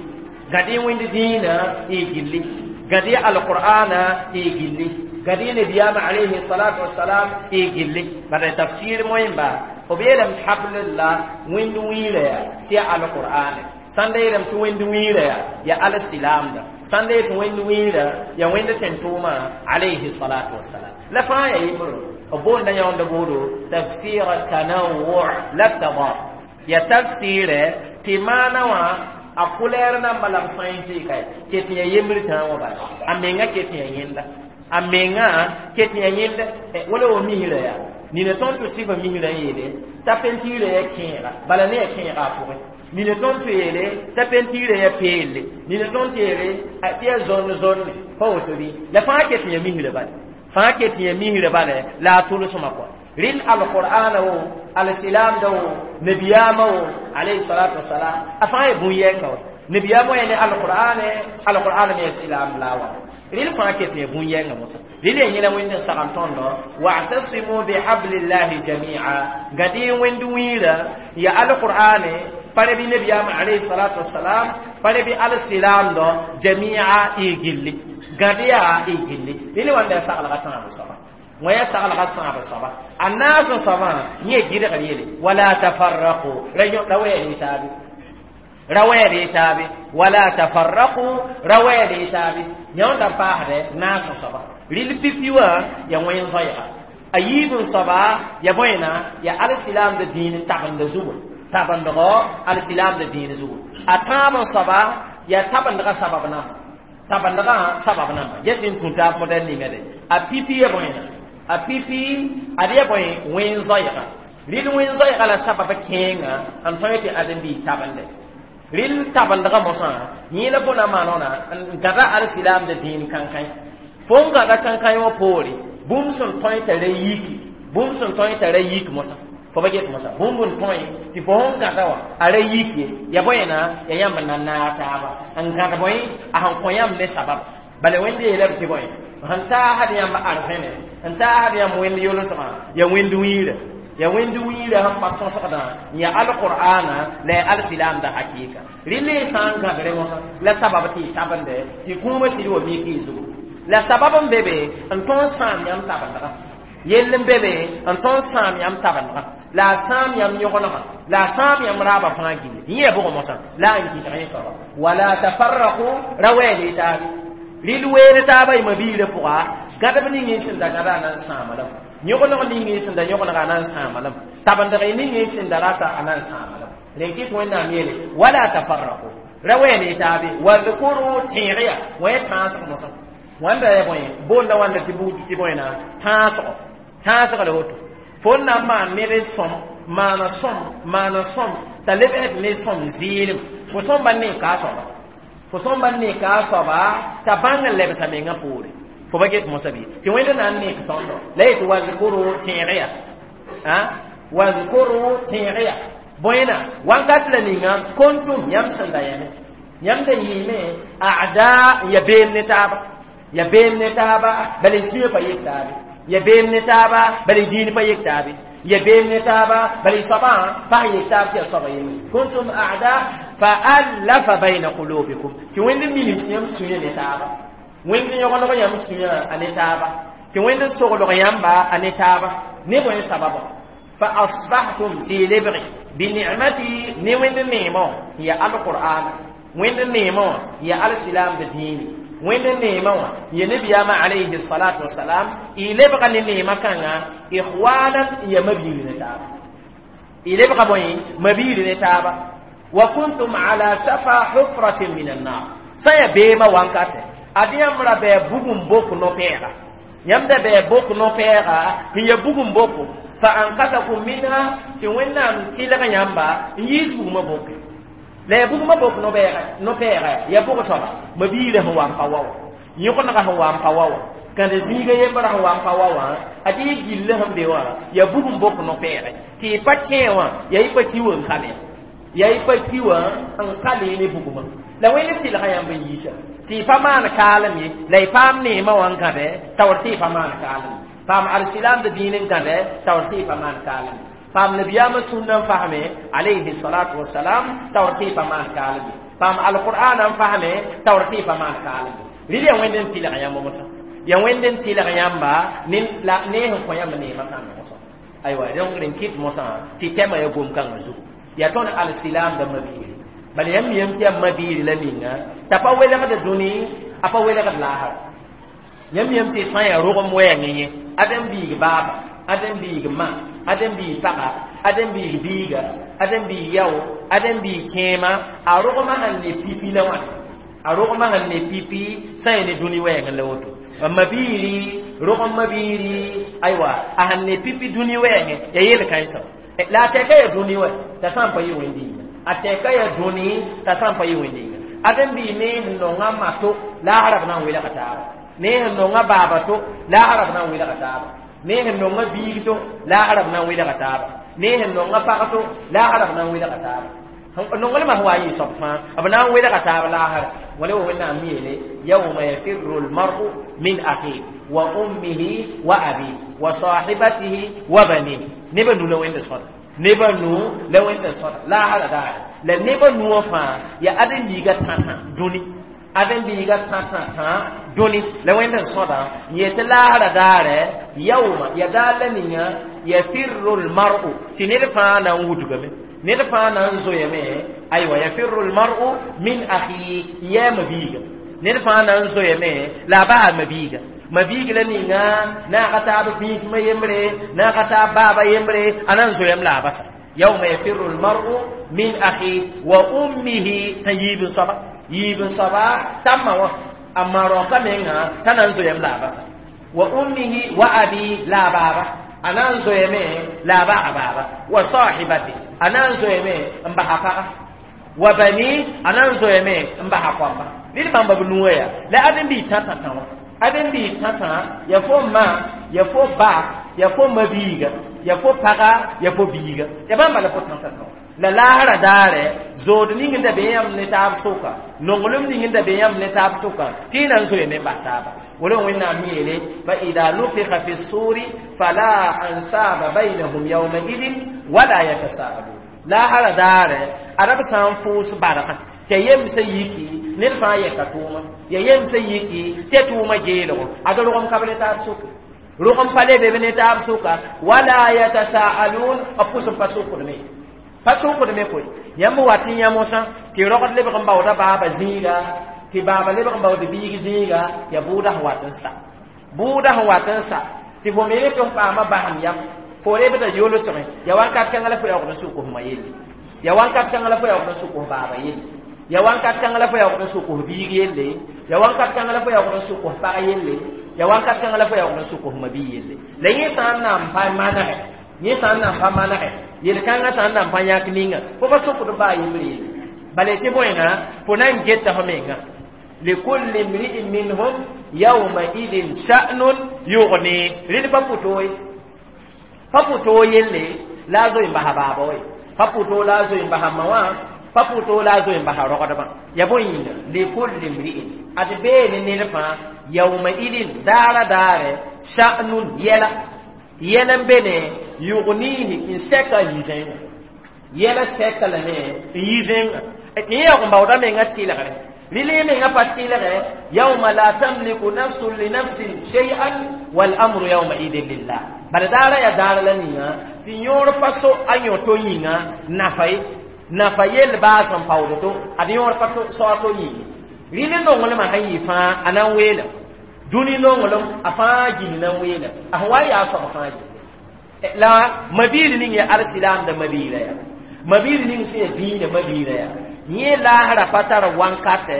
gãd y wẽnd dĩinã y gilli gãd y alqur'ana y gilli gãd y nabiyaamã alayhi salatu wasalam y gilli bala tafsir moẽmba b yeelame tɩ hablillah wẽnd wĩirã yaa tɩ ya alqur'ane sãn da yeelame tɩ wẽnd wĩirã yaa ya alsilamda sãn da yet tɩ wẽnd wĩirã ya wẽnd tẽn-tʋʋmã alayhi salatu wasalam la fãa ya yembr b boonda yãonda boodo tafsir tanawwu la tadad ya tafsirɛ tɩ maana wã a kulɛɛr namba la b sãensɩ ka ket ya yembr tãa wã bala a menga ket ya yẽnda a menga ket ya yẽnda wala wa misrã yaa nina tõnd tɩ sɩfa misrã n yeele t'a pentiirã ya kẽega bala ne ya kẽega a pʋgẽ nina tõnd tɩ yeele t'a pentiirã ya peelle nina tõnd tɩ yeele tɩ ya zõnd zonne pa woto bɩ la fãa ket ya misrã bale fãa ket ya misrã bale la a tʋlsmã kɔa rɩl alqur'ana wo alsilamda wo nabiyaamã wo alayhi salatu wasalam a fãa ya bũn-yɛnga wa nabiyaamã ya ne alqur'ane alqur'an me ya silam la wa rɩl fãa ket ya bũn-yɛnga mosã rɩl ya yẽla wẽnd n sagl tõndo wa'tasimu bihablillahi jamia gãd y wẽnd wĩirã ya alqur'ane pare bɩ nabiyaamã alayhi salatu wasalam pare bɩ alsilamdɔ jamia y gilli gãd yaa y gilli rɩl wãnda ya saglga tãab soaba wã ya saglga sãab soaba a naas n soabã yẽ gɩdgr yele wala tafarraqu ra wɛɛd y taabe ra wɛɛd y taabe wala tafarraqu ra wɛɛd y taabe yãonda paasdɛ naas n soaba rɩl pipi wã ya wẽn zoɛɛga a yiib n soaba ya bõena ya alsilamda dĩin tabenda zugu tabendgɔ alsilamda dĩin zugu a tãab n soaba ya tabendgã sabab namba tabendgã sabab namba ges n tũ taab modɛl ningã de a pipi ya bõena a pipi ad ya bõe wẽn zoɛɛga rɩl wẽn zoɛɛga la sabab kẽenga n tõe tɩ ãdem-biig tabende rɩl tabendgã mosã yẽ la bõna maanona n gãda alsilamda dĩin kãnkãe fo n gãda kãnkãe wã poore bũmb sẽn tõe t'a ra yiki bũmb sẽn tõe t'a ra yik mosã fo ba get mosã bũmb n tõe tɩ fo sẽn gãda wã a ra yik ye ya bõena ya yãmb na naag taaba n gãd bõe a sẽn kõ yãmb ne sabab bala wẽnd yeelame tɩ bõe sẽn taasd yãmb arzẽne n taasd yãmb wẽnd yolsgã ya wẽnd wĩirã ya wẽnd wĩirã sẽn pa tõsgdã ya alqur'ana la ya alsilamda hakika rɩl y sã n gãdre mosã la sabab tɩ y tabende tɩ kũumã sɩd wa mik y zugu la sabab n be be n tõnd sãam yãmb tabendgã yell n be be n tõnd sãam yãmb tabendgã la a sãam yãmb yõgenegã la a sãam yãmb raabã fãa gilli yẽ ya bʋgẽ mosã la n gɩdg yẽ soaba wala tafarraqu ra wɛɛl y taabe rɩl weere taaba y mabiirã pʋga gãdb ning y sẽn da gãda a na n sãama lame yõgeneg ning y sẽn da yõgenega a na n sãama lame tabendg y ning y sẽn da rata a na n sãama lame rẽn kɩt wẽnnaam yeele wala tafarraqu Ra wɛ ne taabe wadhkuru tẽegya wã tãasg mosã wãnda ya bõe boonda wãnda tɩ buud tɩ bõe na tãasgo tãasg la woto fo n na n maan ned sõm maana sõm maana sõm t'a lebsd ne sõm zɩɩlem fo sõmba n ne ka a soaba fo sõmba n ne ka a soaba t'a bãng n lebsa mengã poore fo ba get mosã bɩ tɩ wẽnd na n nek tõndo la yetɩ wazkuru tẽegya wazkuru tẽegya bõena wãnkat la ninga kuntum yãmb sẽn da yame yãmb da yɩɩme ada ya beem ne taaba ya beem ne taaba bala y sũyã pa yek taabe ya beem ne taaba bala y diin pa yek taabe ya beem ne taaba bala y soabã pa yek taab tɩ ya soaba yembre kuntum a'da fa allafa bayna qulubikum tɩ wẽnd minim yãmb sũyã ne taaba wẽnd yõgeneg yãmb sũyã a ne taaba tɩ wẽnd soglg yãmba a ne taaba ne bõe sababa fa asbahtum tɩ y lebge binicmati ne wẽnd neemã ya alqur'ana wẽnd neemã ya alsilam da diini wẽnd neemã wã ya nabiyaamã alayhi salatu wasalam y lebga ne neemã kãnga ikhwanan ya mabiir ne taaba y lebga bõe mabiir ne taaba wa kuntum ala shafa hufratin min annar sã ya beemã wankatɛ ad yãmb ra bɩ bugum bok no-pɛɛga yãmb da bɩ bok no-pɛɛga n ya bugum boko fa ankatakum minha tɩ wẽnnaam tɩlg yãmba n yiis bugmã boke la ya bugmã bok no-pɛɛga no-pɛɛga ya bʋg soaba mabiirã sẽn wa n pa wa wã yõgenega sẽn wa n pa wa wã kãde zĩiga yembrã sẽn wa n pa wa wã ad y gilli sẽn be wã ya bugum bok no-pɛɛgɛ tɩ y pa kẽe wã ya y pa ki wã n ka le ya y pa ki wã n ka le ne bugmã la wẽnd tɩlga yãmb n yiisa tɩ y pa maan kaalem ye la y paam neemã wã n gãdɛ taoor tɩ y pa maan kaalem ye paam alsilam da diin n gãdɛ taoor tɩ y pa maan kaalem ye paam nabiyaamã sũnna n fasme alayhi salatu wasalam taoor tɩ y pa maan kaalem ye paam alqur'ana n fasme taoor tɩ y pa maan kaalem ye rɩl ya wẽnd n tɩlg yãmb mosã ya wẽnd n tɩlg yãmba ne la ne sẽn kõ yãmb neemã kãngã mosã aywa donc rẽn kɩt mosã tɩ tɛmã ya gom-kãngã zugu ya tõnd alsilam da mabiiri bala yãmb yam tɩ yaa mabiiri la ninga t'a pa welgd dũni a pa welgd laasra yãmb yam tɩ sã yaa rogem wɛɛngẽ yẽ adem biig baaba adem biig ma adem biig paga adem biig biiga adem biig yao adem biig kẽema a rogmã sẽn ne pipi la wãna a rogmã sẽn ne pipi sã yaa ne dũni wɛɛngẽ la woto mabiiri rogem mabiiri aywa a sẽn ne pipi dũni wɛɛngẽ ya yel kãensã la a tɛka ya dũni wɛ t'a sã n pa yɩ wẽnd a tɛka ya dũni t'a sã n pa yɩ wẽnd adem bii ne sẽn nonga mato laasra b na n welga taaba ne sẽn nonga baaba to laasra b na n welga taaba ne sẽn nonga biig to laasra b na n welga taaba ne sẽn nonga pag to laasra b na n welga taaba nonglmã sẽn wa n yɩ soab fãa b na n welga taab laasra wala wa wẽnnaam yeele yawma yafirru lmaru min akhihi wa ummihi wa abihi wa sahibatihi wa banihi nebã nu la wẽnda sõda nebã nu la wẽnda sõda laasra daare la nebã nuwã fãa ya ãdem-biigã tã-tã dũni ãdem-biigã tã-tã-tã dũni la wẽnd n sõda n yetɩ laasra daare yauma ya daar la ninga yafirru lmaru tɩ ned fãa na n wudgame ned fãa na n zoeame aywa yafirru lmaru min akhihi n yɛɛ mabiiga ned fãa na n zoeame la a baa mabiiga mabiig la ninga naaga taab vĩismã yembre naaga taab baaba yembre a na n zoeam la a basa yawma yafirru lmaru min akhi wa ummihi t'a yiib n soaba yiib n soaba t'a ma wã a ma raoka menga t'a na n zoeam la a basa wa ummihi wa abi la a baaba a na n zoeame la a baa baaba wa sahibati a na n zoeame n basa paga wa bani a na n zoeame n basa koamba ned bãmba b nuwã yaa la ãdem-biig tã-tã-tã wã ãdem-biig tã-tã ya fo ma ya fo ba ya fo mabiiga ya fo paga ya fo biiga ya bãmba la fo tã-tã-tã wã la laasra daare zood ning n da be yãmb ne taab sʋka nonglem ning n da be yãmb ne taab sʋka tɩ y na n zoeame n bas taaba wala wẽnnaam yeele fa ida nufixa fi suri fala ansaba baynahum yawmaidin wala yatasaalun laasra daare ada b sã n fʋʋs bargã tɩ ya yemsã yiki ned fãa yɛka tʋʋma ya yemsã yiki tɩ ya tʋʋma geelgo ad rogem ka b ne taab sʋka rogem pa lebe b ne taab sʋka wala yatasaalun b pʋs n pa sʋkdme pa sʋkdme koe yãmb wat n yã mosã tɩ rogd lebg n baooda baaba zĩiga tɩ baaba lebg n baood biig zĩiga ya bʋʋda sẽn wat n sa bʋʋda sẽn wat n sa tɩ fo me ne tɩ f paama basem yam fo rebda yolsgẽ ya wakat kãngã la fo yaoogd n sʋk f ma yelle ya wakat kãngã la fo yaoogd n sʋk f baaba yelle Ya wãnkat kãng la fo yaoogd n sʋk f biig yelle, ya wãnkat kãng la fo yaoogd n sʋk f pag yelle, ya wãnkat kãng la fo yaoogd n sʋk f mabi yelle. La yẽ sã n na n pa manegɛ, yẽ sã n na n pa manegɛ, yel-kãngã sã n na n pa yãk ninga, fo pa sʋkd baa yembr yelle. Bala tɩ bõenga fo na n geta fo menga. Likulli mri'in minhum yawma idin sha'nun yughni. Rẽd pa pʋto ye, pa pʋto yelle la a zoe n basa baaba we, pa pʋto la a zoe n basa ma wã, pa pʋto la a zoe n basa rogdbã. Ya bõe yĩnga likulli mri'in ad bee ne ned fãa yawma idin daara daare sha'nun yɛla yɛl n be ne yughnihi n sɛka n yi zẽnga yɛla sɛka lame n yi zẽnga tɩ yẽ yaoog n baooda menga tɩlgre rɩle menga pa tɩlgɛ yawma la tamliku nafsun li nafsin shay'an wal amru yawma idin lillah. Bala daara ya daara la ninga tɩ yõor pa so a yõ to yĩnga nafa ye nafa yell baas n paood to ad yõor pa so a to yĩnga rɩle nonglmã sẽn yɩ fãa a na n weelem dũni nonglem a fãa gil na n weelem a sẽn wa yaa soab fãa gil la mabiir ning ya alsilaamda mabiira ya mabiir ning sẽn ya dĩinã mabiira ya yẽ laasra pa tar wãnkatɛ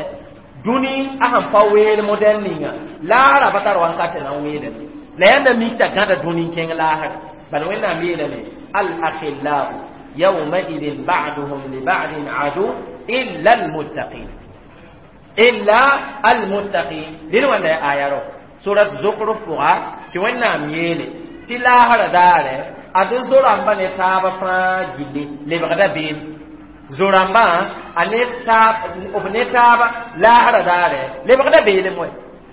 dũni a sẽn pa weel modɛl ninga laasra pa tar wãnkatɛ na n weelem la yãnda mik t'a gãda dũni n kẽng laasra bala Wẽnnaam yeelame al akhillau yawmaidin ba'duhum li ba'din adu illa almuttaqin illa almuttaqin. Dẽn wãnda ya aya ro surat Zukhruf pʋga tɩ Wẽnnaam yeele tɩ laasra daare ad zo-rãmba ne taaba fãa gilli lebgda beem zo-rãmbã a ne taab b ne taaba laasra daare lebgda beelem wɛ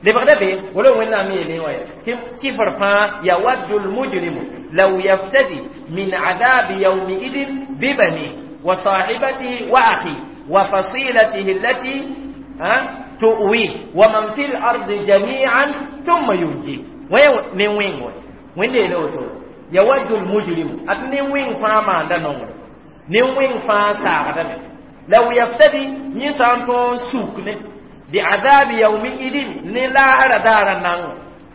lebgda beel wala Wẽnnaam yeele wã tɩ kifr fãa yawaddu lmujrimu law yaftadi min adabi yawmiidin bibani wa sahibatihi wa akhi wa fasilatihi allati tu'wi wa man fi l-ardi jami'an thumma yunji ne wẽng wɛ wẽnde yeele woto yawaddu lmujrimu ad ne wẽng fãa maanda nongre ne wẽng fãa saagdame law yaftadi yẽ sã n tõog suk ne biadabi yawmiidin ne laasra daara nanga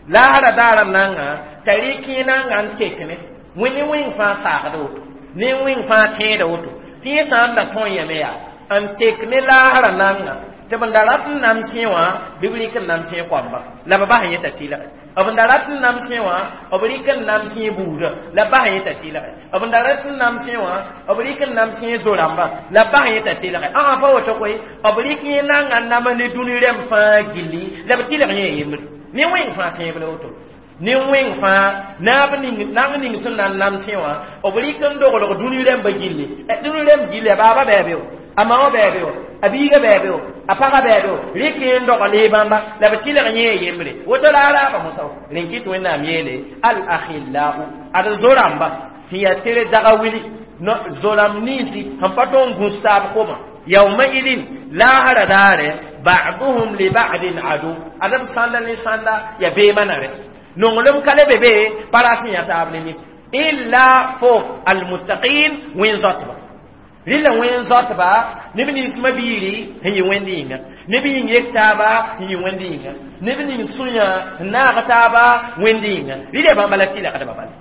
laasra daara nanga t'a rɩk nanga n tek ne wẽnd wẽng fãa saagda woto ne wẽng fãa tẽeda woto tɩ yẽ sã n da tõe yame yaa n tek ne laasra nanga tɩ b da rat n namsẽ wã bɩ b rɩk n namsẽ koamba la b bas yẽ t'a tɩlge b da rat n namsẽ wã b rɩk n namsẽ buudã la bas yẽ t'a tɩlge b da rat n namsẽ wã b rɩk n namsẽ zo-rãmba la bas yẽ t'a tɩlge ã pa woto koe b rɩk yẽ nanga n nama ne dũni rẽmb fãa gilli la b tɩlg yẽ yembre ne wẽng fãa tẽeb la woto ne wẽng fãa naab ning nang ning sẽn na n namsẽ wã b rɩk n doglg dũni rẽmbã gilli dũni rẽmb gilli a baaba bɛɛbe o a ma wã bɛɛbe o a biiga bɛɛbe o a pagã bɛɛbe o rɩk n dogl bãmba la b tɩlg yẽ yembre woto la a raaba mosã rẽn kɩt Wẽnnaam yeele al akhillau ad zo-rãmba sẽn yaa tere daga wili zo-rãmb ninsi sẽn pa tõog n gũs taab koma yawmaidin laasra daare ba'duhum li ba'din adu ad b sãnda ne sãnda ya beemã nare nonglem ka le be be pa rat n yã taab ne nif illa fo almuttaqin wẽn zoatba rɩla wẽn zoatba neb nins mabiiri sẽn yɩ wẽnd yĩnga neb yĩng yek taaba sẽn yɩ wẽnd yĩnga neb ning sũyã n naag taaba wẽnd yĩnga rɩla bãmba la tɩlgdba bala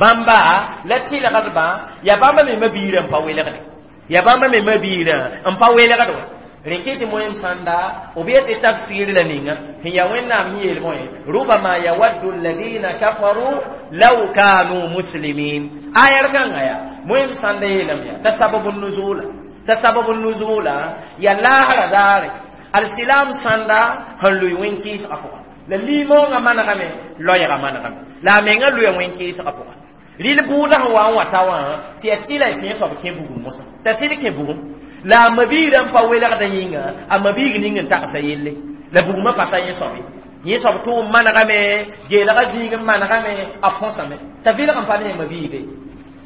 bãmba la tɩlgdbã ya bãmba me mabiirã n pa welgde ya bãmba me mabiirã n pa welgd wã rẽn kɩ tɩ moem sãnda b yetɩ tafsir la ninga sẽn yaa Wẽnnaam sẽn yeel bõe rubama yawaddu alladina kafaru law kanu muslimin ayar kãngã yaa moem sãnda yeelame yaa t'a sababu nuzula t'a sababu nuzula ya laasra daare alsilam sãnda sẽn lʋɩ wẽn-kɩɩsgã pʋga la limoongã manegame loɛɛgã manegame la a menga lʋɩa wẽn-kɩɩsgã pʋga rɩl bʋʋda sẽn wa n wa ta wã tɩ yaa tɩla tɩ yẽ soab kẽ bugum mosã t'a sɩd kẽ bugum la a mabiirã n pa welgda yĩnga a mabiig ning n tagsa yelle la bugmã pa ta yẽ soab ye yẽ soab tʋʋm manegame geelgã zĩig n manegame a põsame t'a vɩlg n pa ne mabiibe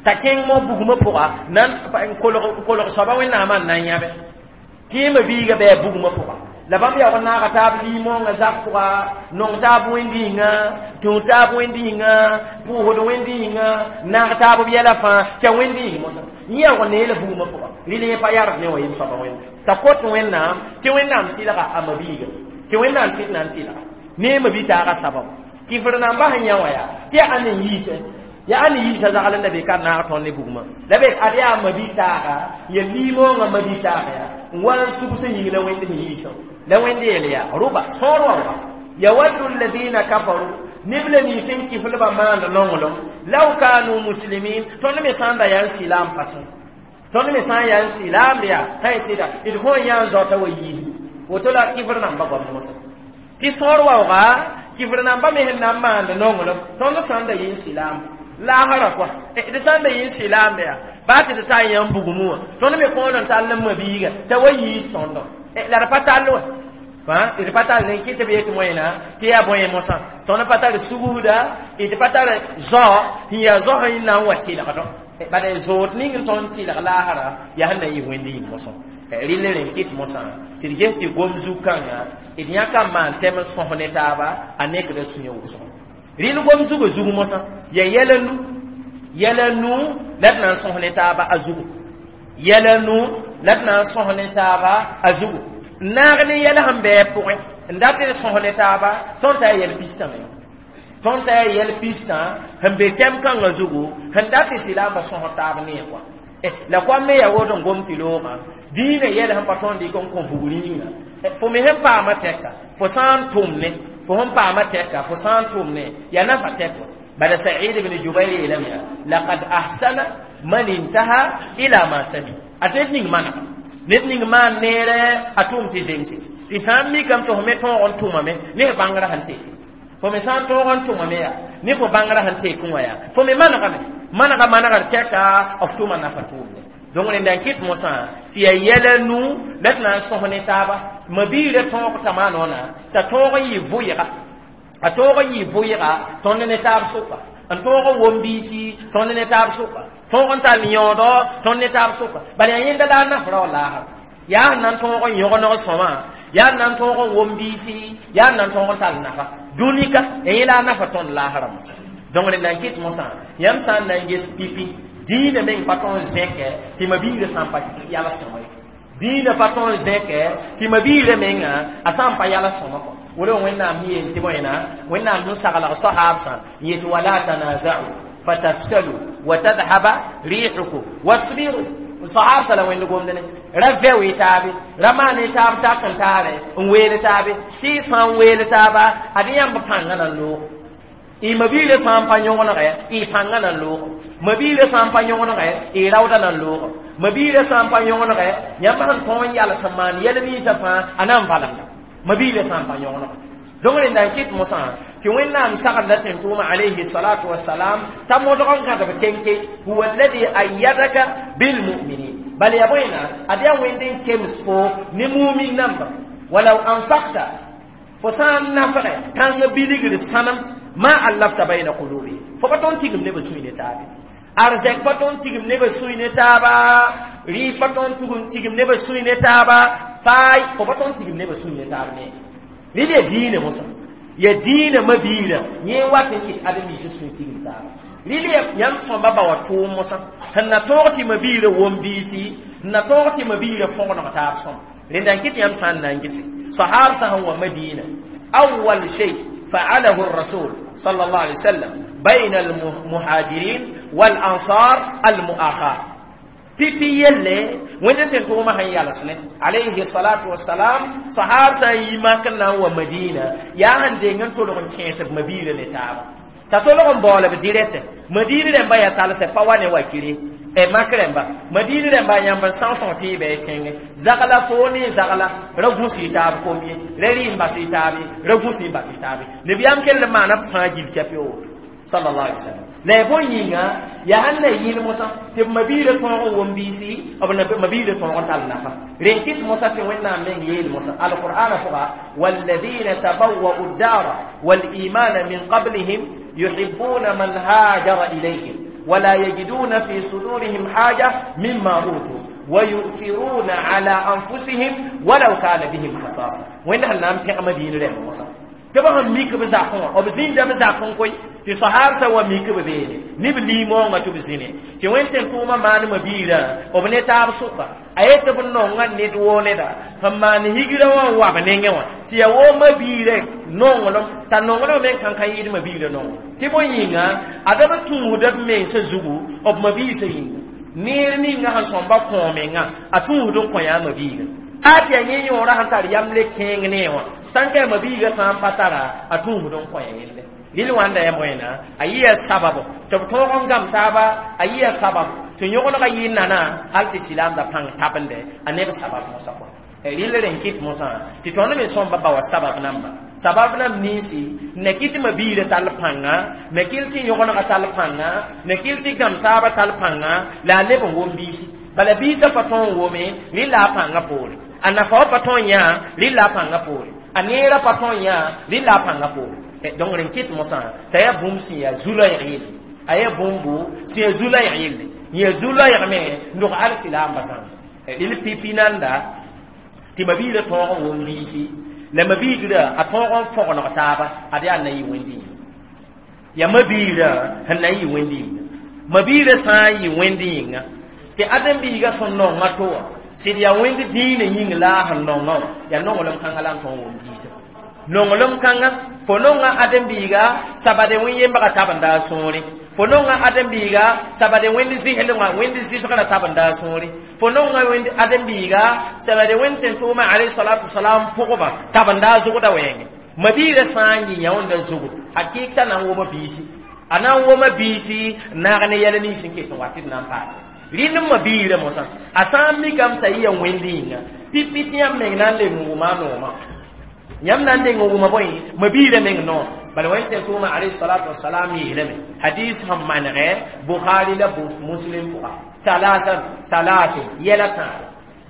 t'a kẽng mo bugmã pʋga nan n kolg soaba Wẽnnaamã n na n yãbe tɩ yẽ mabiiga bɩ a bugmã pʋga la bãmb yaoog n naaga taab limoongã zak pʋga nong taab wẽnd yĩnga tũ taab wẽnd yĩnga pʋʋsd wẽnd yĩnga naag taab b yɛla fãa t'a wẽnd yĩng mosã yẽ yaoog n neela bugmã pʋga rɩl yẽ pa yard ne wã yem soaba wẽnda t'a kot Wẽnnaam tɩ Wẽnnaam tɩlga a mabiiga tɩ Wẽnnaam sɩd na n tɩlga ne mabi taaga sabab kifr nambã sẽn yã wã yaa tɩ yaa ãnd n yiisẽ Ya ani yiisa zagl n da be ka naag tõnd ne bugmã la be ad yaa mabi-taaga ya limoongã mabi-taaga yaa n wa n sugs yĩng la wẽnd sẽn yiisã la wẽnd yeel yaa rʋba sõor waooga yawaddu alladina kafaru neb la nins n kiflbã maand nonglem law kanu muslimin tõnd me sã n da yaa n silaam pasẽ tõnd me sã n yaa n silaam yaa sã n sɩda d kõn yã n zaota wa yiis woto la kifr namba goam mosã tɩ sõor waooga kifr namba me sẽn na n maand nonglem tõnd sã n da yɩ n silaam laasra kɔa d sã n da yɩ n silaambe yaa baa tɩ d taa yãmb bugmẽ wã tõnd me kõon n tall n mabiiga t'a wa yiis tõndo la d pa tall wã d pa tall n kɩ tɩ b yet wẽna tɩ yaa bõe mosã tõnd pa tar sugusda d pa tar zao sẽn yaa zao sẽn na n wa tɩlgdõ bala zood ning n tõnd tɩlg laasra yaa sẽn na yɩ wẽnd yĩng mosã rɩl rẽ kɩt mosã tɩ d ges tɩ gom zug-kãngã d yãka n maan tɛm n sõs ne taaba a nekda sũyã wʋsgo rɩl gom zugã zug mosã ya yɛl nu yɛl nu la d na n sõs ne taaba a zugu yɛl nu la d na n sõs ne taaba a zugu n naag ne yɛl sẽn bɩ pʋgẽ n dat d sõs ne taaba tõnd t'a yɛl pistã me tõnd t'a yɛl pistã sẽn be tɛm kãngã zugu sẽn dat tɩ silaambã sõs taab nee kɔa la koam me yaa woto n gom tɩ loogã dĩinã yɛl sẽn pa tõnd dɩk n kõ vugr yĩnga fo me sẽn paama tɛka fo sã n tʋm ne fo sẽn paama tɛka fo sã n tʋm ne yaa nafa tɛk wa bala Sa'id ibn Jubayr yeelame yaa laqad ahsana man intaha ila ma sami a ned ning manega ned ning maan neere a tʋʋm tɩ zemse tɩ sã n mikame tɩ fo me tõog n tʋmame ne f bãngrã sẽn teke fo me sã n tõog n tʋmame yaa ne fo bãngrã sẽn tek wã yaa fo me manegame manega manegr tɛka f tʋma nafa tʋʋmde donc rẽnda n kɩt mosã tɩ yaa yɛla nu la d na n sõs ne taaba mabiirã tõog t'a maanoona t'a tõog n yɩ vʋɩga a tõog n yɩ vʋɩga tõnd ne taab sʋka n tõog n wom biisi tõnd ne taab sʋka tõog n tall yõodɔ tõnd ne taab sʋka bala yaa yẽnda la a nafra wa laasra yaa sẽn na n tõog n yõgeneg sõma yaa sẽn na n tõog n wom biisi yaa sẽn na n tõog n tall nafa dũnika ya yẽ la a nafa tõnd laasrã mosã donc rẽnda n kɩt mosã yãmb sã n na n ges pipi dĩinã meng pa tõnd zẽkɛ tɩ mabiirã sã n pa yala sõma ye dĩinã pa tõnd zẽkɛ tɩ mabiirã menga a sã n pa yala sõma kɔ wala wẽnnaam yeel tɩ bõena wẽnnaam sẽn saglg soaabsã n yet wala tanaza'u fatafsalu wa tadhaba rihukum wasbiru soaabsã la wẽnd gomd ne ra vɛ y taabe ra maan y taab tak n taare n weel taabe tɩ y sã n weel taaba ad yãmb pãngã na n loog y mabiirã sã n pa yõgenegɛ y pãngã na n loog mabiirã sã n pa yõgenegɛ y raooda na n loog mabiirã sã n pa yõgenegɛ yãmb sẽn tõog n yals n maan yɛl ninsã fãa a na n valemda mabiirã sã n pa yõgenegɛ donc rẽnda n kɩt mosã tɩ wẽnnaam saglda tẽn-tʋʋma alayhi salatu wasalam t'a modg n gãdb kenke huwa alladhi ayyadaka bilmuminin bal yaa bõena ad yaa wẽnd n kems fo ne mumin namba walaw anfakta fo sã n nafgɛ tãng bilgr sãnem ma allafta bayna qulubihim fo pa tõnd tigim nebã sũy ne taabe arzɛk pa tõnd tigim nebã sũy ne taaba rɩɩb pa tõnd tigim nebã sũy ne taaba faay fo pa tõnd tigim nebã sũy ne taab ne rɩl yaa diinã mosã ya diinã mabiirã yẽ wat n kɩt ade-ninsã sũy tigim taaba rɩl yãmb sõmba ba wa tʋʋm mosã sẽn na tõog tɩ mabiirã wom biisi n na tõog tɩ mabiirã fõgeneg taab sõma rẽnda n kɩt yãmb sã n na n gese sahaab sã sẽn wa madiina awal shay فعله الرسول صلى الله عليه وسلم بين المهاجرين والأنصار المؤاخاة pipi yelle wẽnd tɩ tʋʋmã sẽn yals ne alayhi salatu wasalam sahab sã n yi mak n na n wa madina yaa sẽn deng n tolg n kẽes b mabiirã ne taaba t'a tolg n baool b dirɛtɛ madina rẽmba yaa talsɛ pa wa ne wakire e mak rẽmba madina rẽmba yãmb n sãosõ tɩ y bɩ kẽngẽ zagla fo ne zagla ra gũs y taab kom ye ra rɩ n bas y taab ye ra gũs y bas y taab ye nebiyaam kell n maana b fãa gil kɛp ye woto sallallahu alaihi wasallam la ya bõe yĩnga yaa sẽn na yɩl mosã tɩ b mabiirã tõog n wom biisi b mabiirã tõog n tall nafa rẽn kɩt mosã tɩ wẽnnaam meng yeel mosã alqur'ana pʋga walladina tabawwa'u ddara walimana min qablihim yuhibbuna man hajara ilayhim ولا يجدون في صدورهم حاجة مما أوتوا ويؤثرون على أنفسهم ولو كان بهم خصاصة وين هل نام تيغ مدينة رحمة موسى تبا هم ميك بزاقون أو بزين دم زاقون كوي Tɩ sahab sã wa mik b beene ne b liimoongã tɩ b zĩne tɩ wẽnd tẽn-tʋʋmã maan mabiirã b ne taab sʋka a yetɩ b nonga ned woo neda sẽn maan higrã wã n wa b nengẽ wã tɩ yaa woo mabiirã nonglem t'a nonglem me kãnkã yɩɩd mabiirã nongo tɩ bõe yĩnga ada b tũusda b mensã zugu b mabiisã yĩnga neer ninga sẽn sõmba kõ menga a tũusd n kõ yaa mabiiga a tɩ yaa yẽ yõorã sẽn tar yam le kẽeng ne wã tãnka yaa mabiiga sã n pa tara a tũusd n kõ ya yelle rɩl wãnda ya bõena a yɩa sababo tɩ b tõog n gãm taaba a yɩa sabab tɩ yõgenega yɩ nana hal tɩ silaamda pãng tabende a neb sabab mosã kɔ rɩl rẽn kɩt mosã tɩ tõnd me sõmba ba wa sabab namba sabab nam ninsi ne kɩt mabiirã tall pãnga me kɩl tɩ yõgenega tall pãnga ne kɩl tɩ gãm taaba tall pãnga la a leb n wom biisi bala biisã pa tõo n wome rɩl la a pãngã poore a nafa wã pa tõo n yã rɩl la a pãngã poore a neerã pa tõo n yã rɩl la a pãngã poore donc rẽn kɩt mosã t'a yaa bũmb sẽn yaa zu-loɛɛg yelle a yaa bũmbu sẽn yaa zu-loɛɛg yelle yaa zu-loɛɛgme n dog alsilaamba zãnga rɩl pipi nanda tɩ mabiirã tõog n wom biisi la mabiigrã a tõog n fõgeneg taaba ad yaa na yɩ wẽnd yĩnga yaa mabiirã sẽn na n yɩ wẽnd yĩnga mabiirã sã n yɩ wẽnd yĩnga tɩ ãdem-biigã sẽn nonga to wã sɩd yaa wẽnd dĩinã yĩng la a sẽn nongã wã yaa nonglem kãngã la n tõog n wom biisã nonglem kãngã fo nonga ãdem-biiga sabade wẽn yembga tabenda a sũurẽ fo nonga ãdem-biiga sabade wẽnd zɩslmã wẽnd zɩsgrã tabenda a sũurẽ fo nonga wẽnd ãdem-biiga sabade wẽnd tẽn-tʋʋmã alayhi salatu wasalam pʋgba tabenda a zʋgda wɛɛngẽ mabiirã sã n yɩ yãoonda zugd hakɩɩk t'a na n woma biisi a na n woma biisi naag ne yɛl nins n ket n wa tɩ d na n paase rɩnd mabiirã mosã a sã n mikame t'a yɩ ya wẽnd yĩnga pipi tɩ yãmb meng na n leng n wʋma a noomã yãmb na n deng n wʋma bõe mabiirã meng noor bala wẽnd tẽn-tʋʋmã alayhi salatu wasalam yeelame hadis sẽn manegɛ bukhari la muslim pʋga salasan salasin yɛla tãabo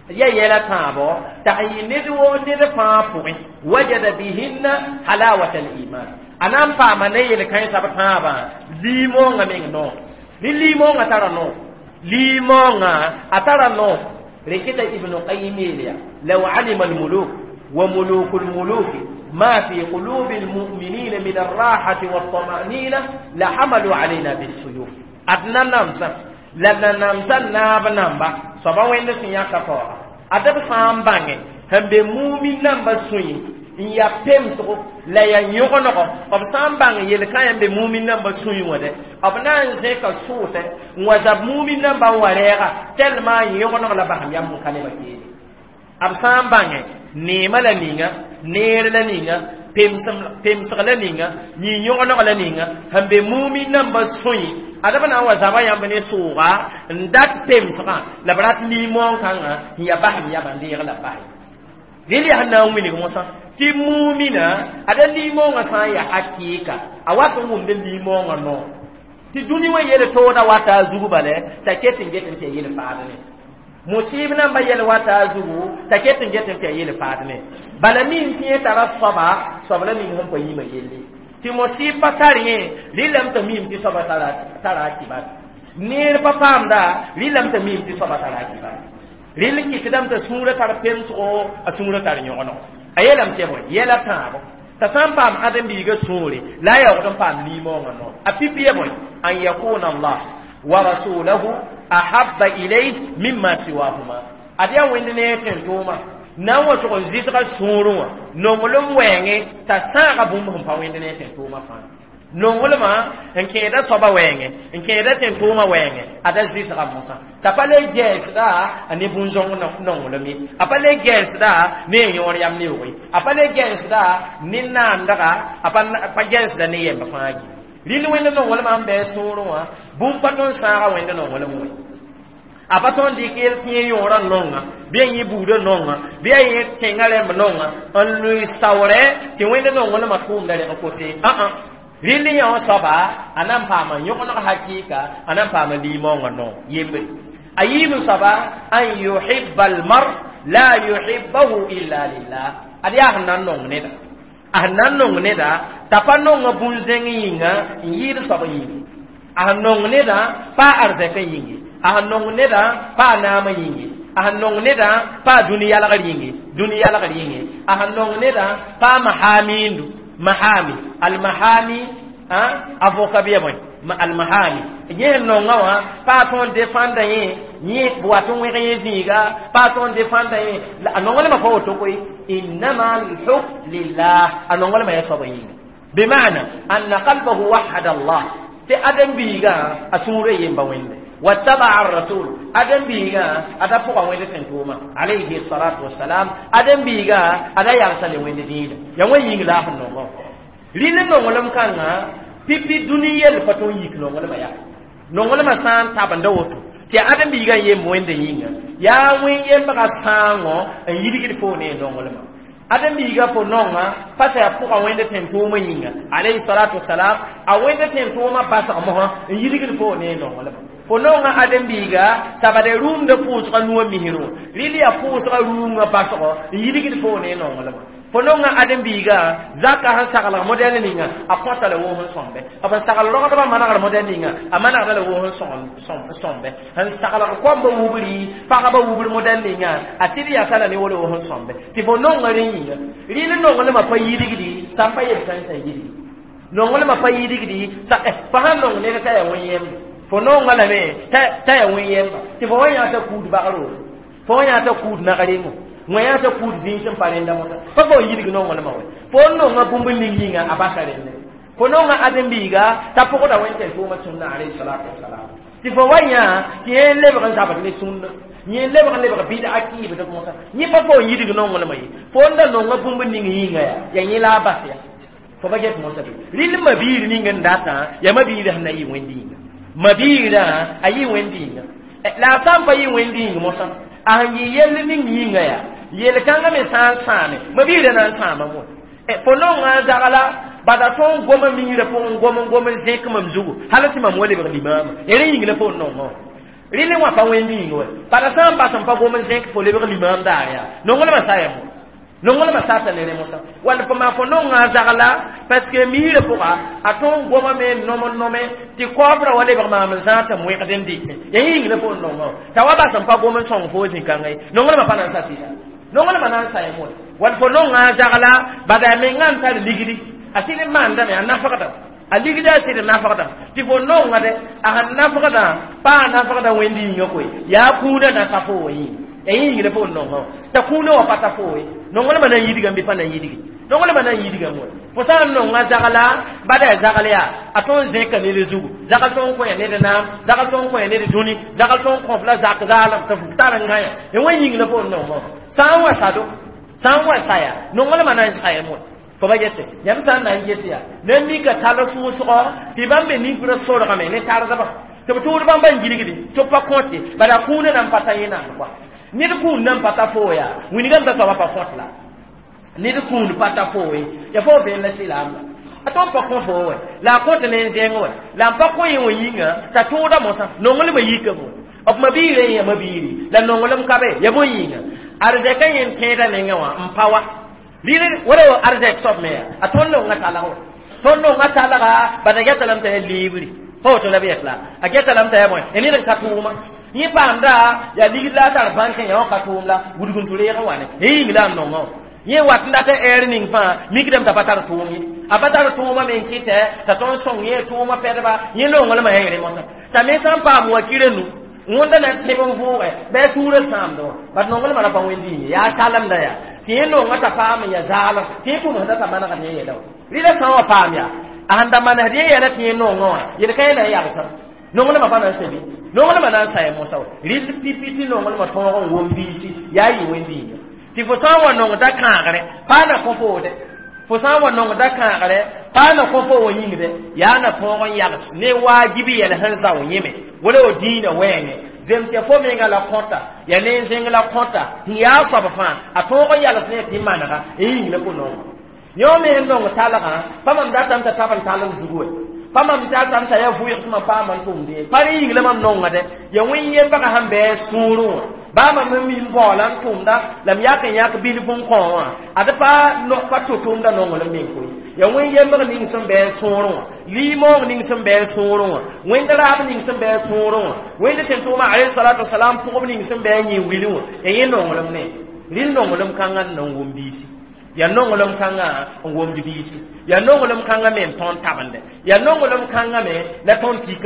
ya yɛla tãabo t'a sẽn yɩ ned woo ned fãa pʋgẽ wajada bihinna halawata liman a na n paama ne yel-kãensã b tãabã liimoongã meng noor ne liimoongã tara noor liimoongã a tara noor rẽn kɩta ibnu qayim yeel ya law alima almuluk وملوك الملوك ما في قلوب المؤمنين من الراحة والطمأنينة لحملوا علينا بالسيوف أدنى نمسا لنا نمسا ناب نمبا صبا وين سنيا كفورا أدب سامبانge هم بمؤمن نمبا سوي n yaa pemsgo la yaa yõgenego b sã n bãng yel-kã yãmb be mumin nambã sũyẽ wã dɛ b na n zẽka sʋʋsɛ n wa zab mumin nambã n wa rɛɛga tellement yõgeneg la basem yam n ka nebã keede b sã n bãngẽ neemã la ninga neer la ninga pemsg la ninga yĩ-yõgeneg la ninga sẽn be mumin nambã sũyẽ ad b na n wa zaba yãmb ne sʋʋga n dat pemsgã la b rat nin-moong-kãngã n yaa basem yaba n deeg la b bas rel yaa sẽn na n wilg mosã tɩ mumina ada nin-moongã sã n yaa hakɩɩka a wat n wʋmd nin-moongã noor tɩ dũni wã yel tooda wata a zug bale t'a ket n get n tɩ ya yel faad ne musib namba yɛl wata a zugu t'a ket n get n tɩ ya yel faad ne bala nin tɩ yẽ tara soaba soab la ning sẽn pa yĩmã yelle tɩ musib pa tar yẽ rɩlame t'a miime tɩ soaba tara a kibar neer pa paamda rɩlame t'a miime tɩ soaba tara a kibar rɩl kɩtdame t'a sũurã tar pemsgo a sũurã tar yõgenego a yeelame tɩ ya bõe yɛla tãabo t'a sã n paam ãdem-biigã sũure la a yaoogd n paam nin-moongã noor a pipi ya bõe an yakuna allah wa rasulahu ahabba ilayh mimma siwahuma ad yaa wẽnd ne tẽn-tʋʋma na n wa tʋg n zɩsga sũurẽ wã nonglem wɛɛngẽ t'a sãaga bũmb sẽn pa wẽnd ne tẽn-tʋʋmã fãa nonglmã n kẽeda soaba wɛɛngẽ n kẽeda tẽn-tʋʋmã wɛɛngẽ ada zɩsga mosã t'a pa le gɛɛsda a ne bũn-zõng nonglem ye a pa le gɛɛsda ne a yõor yam neoog ye a pa le gɛɛsda ne naandga a pa gɛɛsda ne yɛmb fãa gi rɩl wẽnd nonglmã n bɩ sũurẽ wã bũmb pa tõe n sãaga wẽnd nonglem wẽ a pa tõe n dɩk yel tɩ yẽ yõorã nonga bɩ a yẽ buudã nonga bɩ a yẽ tẽngã rẽmb nonga n lʋɩ saoorɛ tɩ wẽnd nonglmã tʋʋmda reg kote ã-ã rɩl yã wã soaba a na n paama yõgeneg hakɩɩka a na n paama nin-moongã noor yembre a yiim soaba an yuhibba almar la yuhibbahu illa lillah ad yaa sẽn na n nong neda a sẽn na n nong neda t'a pa nonga bũn-zẽng yĩnga n yɩɩd soab yĩnge a sẽn nong neda pa arzɛkã yĩnge a sẽn nong neda pa a naamã yĩnge a sẽn nong neda pa a dũni yalgr yĩnge dũni yalgr yĩnge a sẽn nong neda pa a mahamiindu mahami almahami Avocat bɩ ya bõe almahami yẽ nonga wã pa tõnd défendre yẽ yẽ wat n wẽg yẽ zĩiga pa tõnd défendre yẽ a nonglmã pa woto koe innama alhukm lillah a nonglmã ya soab yĩnga bimana anna qalbahu wahada Allah tɩ ãdem-biigã a sũurã yemba wẽnde واتبع الرسول ادم بيغا ادا فوق وين تنتوما عليه الصلاه والسلام ادم بيغا ادا يالسا le wẽnd dĩinã ya wẽn yĩng la f nongo rɩl nonglem kãngã pipi dũni yell pa tõe n yik nonglmã yaa nonglmã sã n tabenda woto tɩ ãdem-biigã n yemb wẽnda yĩnga yaa wẽn yembga sãango n yidgd fo ne nonglmã ãdem-biigã fo nonga pa sa yaa pʋga wẽnd tẽn-tʋʋmã yĩnga alayhi salatu wasalam a wẽnd tẽn-tʋʋmã basg mosã n yidgd fo ne nonglmã fo nonga ãdem-biiga sabade rũmda pʋʋsga nuwã misrẽ wã rɩl yaa pʋʋsga rũngã basgo n yidgd fo ne nonglmã fo nonga ãdem-biiga zaka sẽn saglg modɛl ninga a kõta la wʋʋs n sõmbe b n sagl rogdbã manegr modɛl ninga a manegda la wʋʋs n sõmbe n saglg koambã wubri pagba wubr modɛl ninga a sɩd yasa la ne wala wʋʋs n sõmbe tɩ fo nonga rẽ yĩnga rɩl nonglmã pa yidgdi sã n pa yel kãensã yidgi nonglmã pa yidgdi fa sãn nong ned t'a yaa wẽn-yembe fo nonga lame t'a yaa wẽn-yemba tɩ fo wa yã t'a kuud bagr woto fo wa yã t'a kuud nag-rengo wã yaa t'a kuud zĩig sẽn pa rẽnda mosã pa fo yidg nonglmã wɛ fo n nonga bũmb ning yĩnga a basa rẽnde fo nonga ãdem-biiga t'a pʋgda wẽn tẽn-tʋʋmã sũnna alayhi salatu wasalam tɩ fo wa yã tɩ yẽ lebg n zabd ne sũnna yẽ lebg n lebg bɩd a kɩɩbd mosã yẽ pa fo n yidg nonglmã ye fo n da nonga bũmb ning yĩnga yaa yaa yẽ la a bas ya fo ba get mosã bɩ rɩl mabiir ning n datã yaa mabiirã sẽn na yɩ wẽnd yĩnga mabiirã a yɩ wẽnd yĩnga la a sã n pa yɩ wẽnd yĩng mosã a sẽn yɩ yell ning yĩnga yaa yel kãngã me sã n sãame mabiirã na n sãama mo fo nonga zagla bada tõn goma miirã pʋgẽ gom n gom n zẽk mam zugu hal tɩ mam wa lebg limaama ya rẽ yĩng la fo n nongã rɩl wã pa wẽnd yĩng wɛ bada sã n bas n pa gom n zẽk fo lebg limaam daar yaa nonglmã sa ya mo nonglmã sata ne rẽ mosã wall fo maa fo nonga zagla parce que miirã pʋga a tõn goma me nom n nome tɩ kaoofrã wa lebg maam n zãag tɩ m wẽgd n dɩtẽ ya yĩng la fo n nongã t'a wa bas n pa gom n sõng fo zĩ-kãngã ye nonglmã pa na n sa sɩda nonglmã na n sa mo wall fo nonga zagla bada menga n tar ligdi a sɩd n maandame a nafgda a ligda a sɩd nafgda tɩ fo nonga de a sẽn nafgdã pa a nafgda wẽnd yĩngã koe yaa kũunã na ta fo wã yĩnga ya yĩng la fo n nongã t'a kũunã wã pa ta fo ye nonglmã na n yidgame bɩ pa na n yidgi nonglmã na n yidgame wa fo sã n nonga zagla bada ya zagl yaa a tõn zẽka ned zugu zagl tõn kõ ya ned naam zagl tõn kõ ya ned dũni zagl tõn kõf la zak zaalem tɩ f tar n gã ya ya wẽn yĩng la fo n nongã sã n wa sado sã n wa saya nonglmã na n sayame wa fo ba gete yãmb sã n na n ges yaa ned mika tall sʋʋsgɔ tɩ bãmb be nifrã sorgame ne tardbã tɩ b tʋʋd bãmba n gilgdi tɩ b pa kõte bala kũunã na n pa ta yẽ naand kɔa ned kũun nan pa ta fo yaa wĩnigame t'a soaba pa kõt la ned kũun pa ta fo ye ya fo vẽen la sɩlaam la a tõn pa kõ fo wɛ la a kõt ne n zẽng wɛ la n pa kõ yẽ wã yĩnga t'a tʋʋda mosã nonglmã yikame wɛ b mabiirã yẽ mabiiri la nonglem ka be ya bõe yĩnga arzɛkã yẽ n tẽedã nengẽ wã n pa wa rɩl wala arzɛk soab me yaa a tõnd nonga talg wɛ tõnd nonga talga bada geta lame t'a yaa liibri pa woto la b yet la a geta lame t'a yaa bõe ya ned n ka tʋʋma yẽ paamda yaa ligd la a tar bãnkẽ yã wã ka tʋʋm la wudg n tʋ reeg n wa ne yẽ yĩng la n nongã wã yẽ wat n dat ɛɛr ning fãa mikdame t'a pa tar tʋʋm ye a pa tar tʋʋmã me n kɩtɛ t'a tõnd sõng yẽ tʋʋmã pɛdba yẽ nonglmã yaa yẽ mosã t'a me sã n paam wakirã nu wõnda na tẽb n vʋʋgɛ bɩ a sũurã sãamdẽ wã bat nonglmã ra pa wẽnd yĩnge yaa talemda yaa tɩ yẽ nonga t'a paam n ya zaalem tɩ yẽ tʋmsda t'a manegd yẽ yɛla wã rɩla sã n wa paam yaa a sẽn da manesd yẽ yɛla tɩ yẽ nongã wã yel-kã yẽ na n yagsem nonglmã pa na n sebi nonglmã na n sa mosã wa rɩl pipi tɩ nonglmã tõog n wom biisi yaa yɩ wẽnd yĩnga tɩ fo sã n wa nong da kãagre pa na kõ foode fo sã n wa nong da kãagre pa na kõ fo wã yĩngde yaa na tõog n yags ne waajibi yɛl sẽn zao yẽme wala wa dĩinã wɛɛngẽ zem tɩ fo menga la kõta ya ne n zẽng la kõta n yaa soab fãa a tõog n yals ne tɩ manega n yĩng la fo nongo yõ me sẽn nong talgã pa mam datame t'a tab n talem zugu wɛ pa mam datame t'a yaa vʋɩg tɩ mam paam n tʋmd ye pa rẽ yĩng la mam nongã dɛ ya wẽn yembgã sẽn bɩ sũurẽ wã baa mam n mim baoola n tʋmda la m yak n yãk bilf n kõ wã ad pa pa tʋ-tʋmda nonglem meng koe ya wẽn yembg ning sẽn bɩ sũurẽ wã limoong ning sẽn bɩ sũurẽ wã wẽnd raab ning sẽn bɩ sũurẽ wã wẽnd tẽn-tʋʋmã alayhi salatu wasalam pʋgb ning sẽn bɩ yẽ wilẽ wã ya yẽ nonglem ne rɩl nonglem kãngã n na n wʋm biisi Yaa nonglem kãngã n womd biisi, yaa nonglem kãngã me n tõnd tabende, yaa nonglem kãngã me la tõnd kik.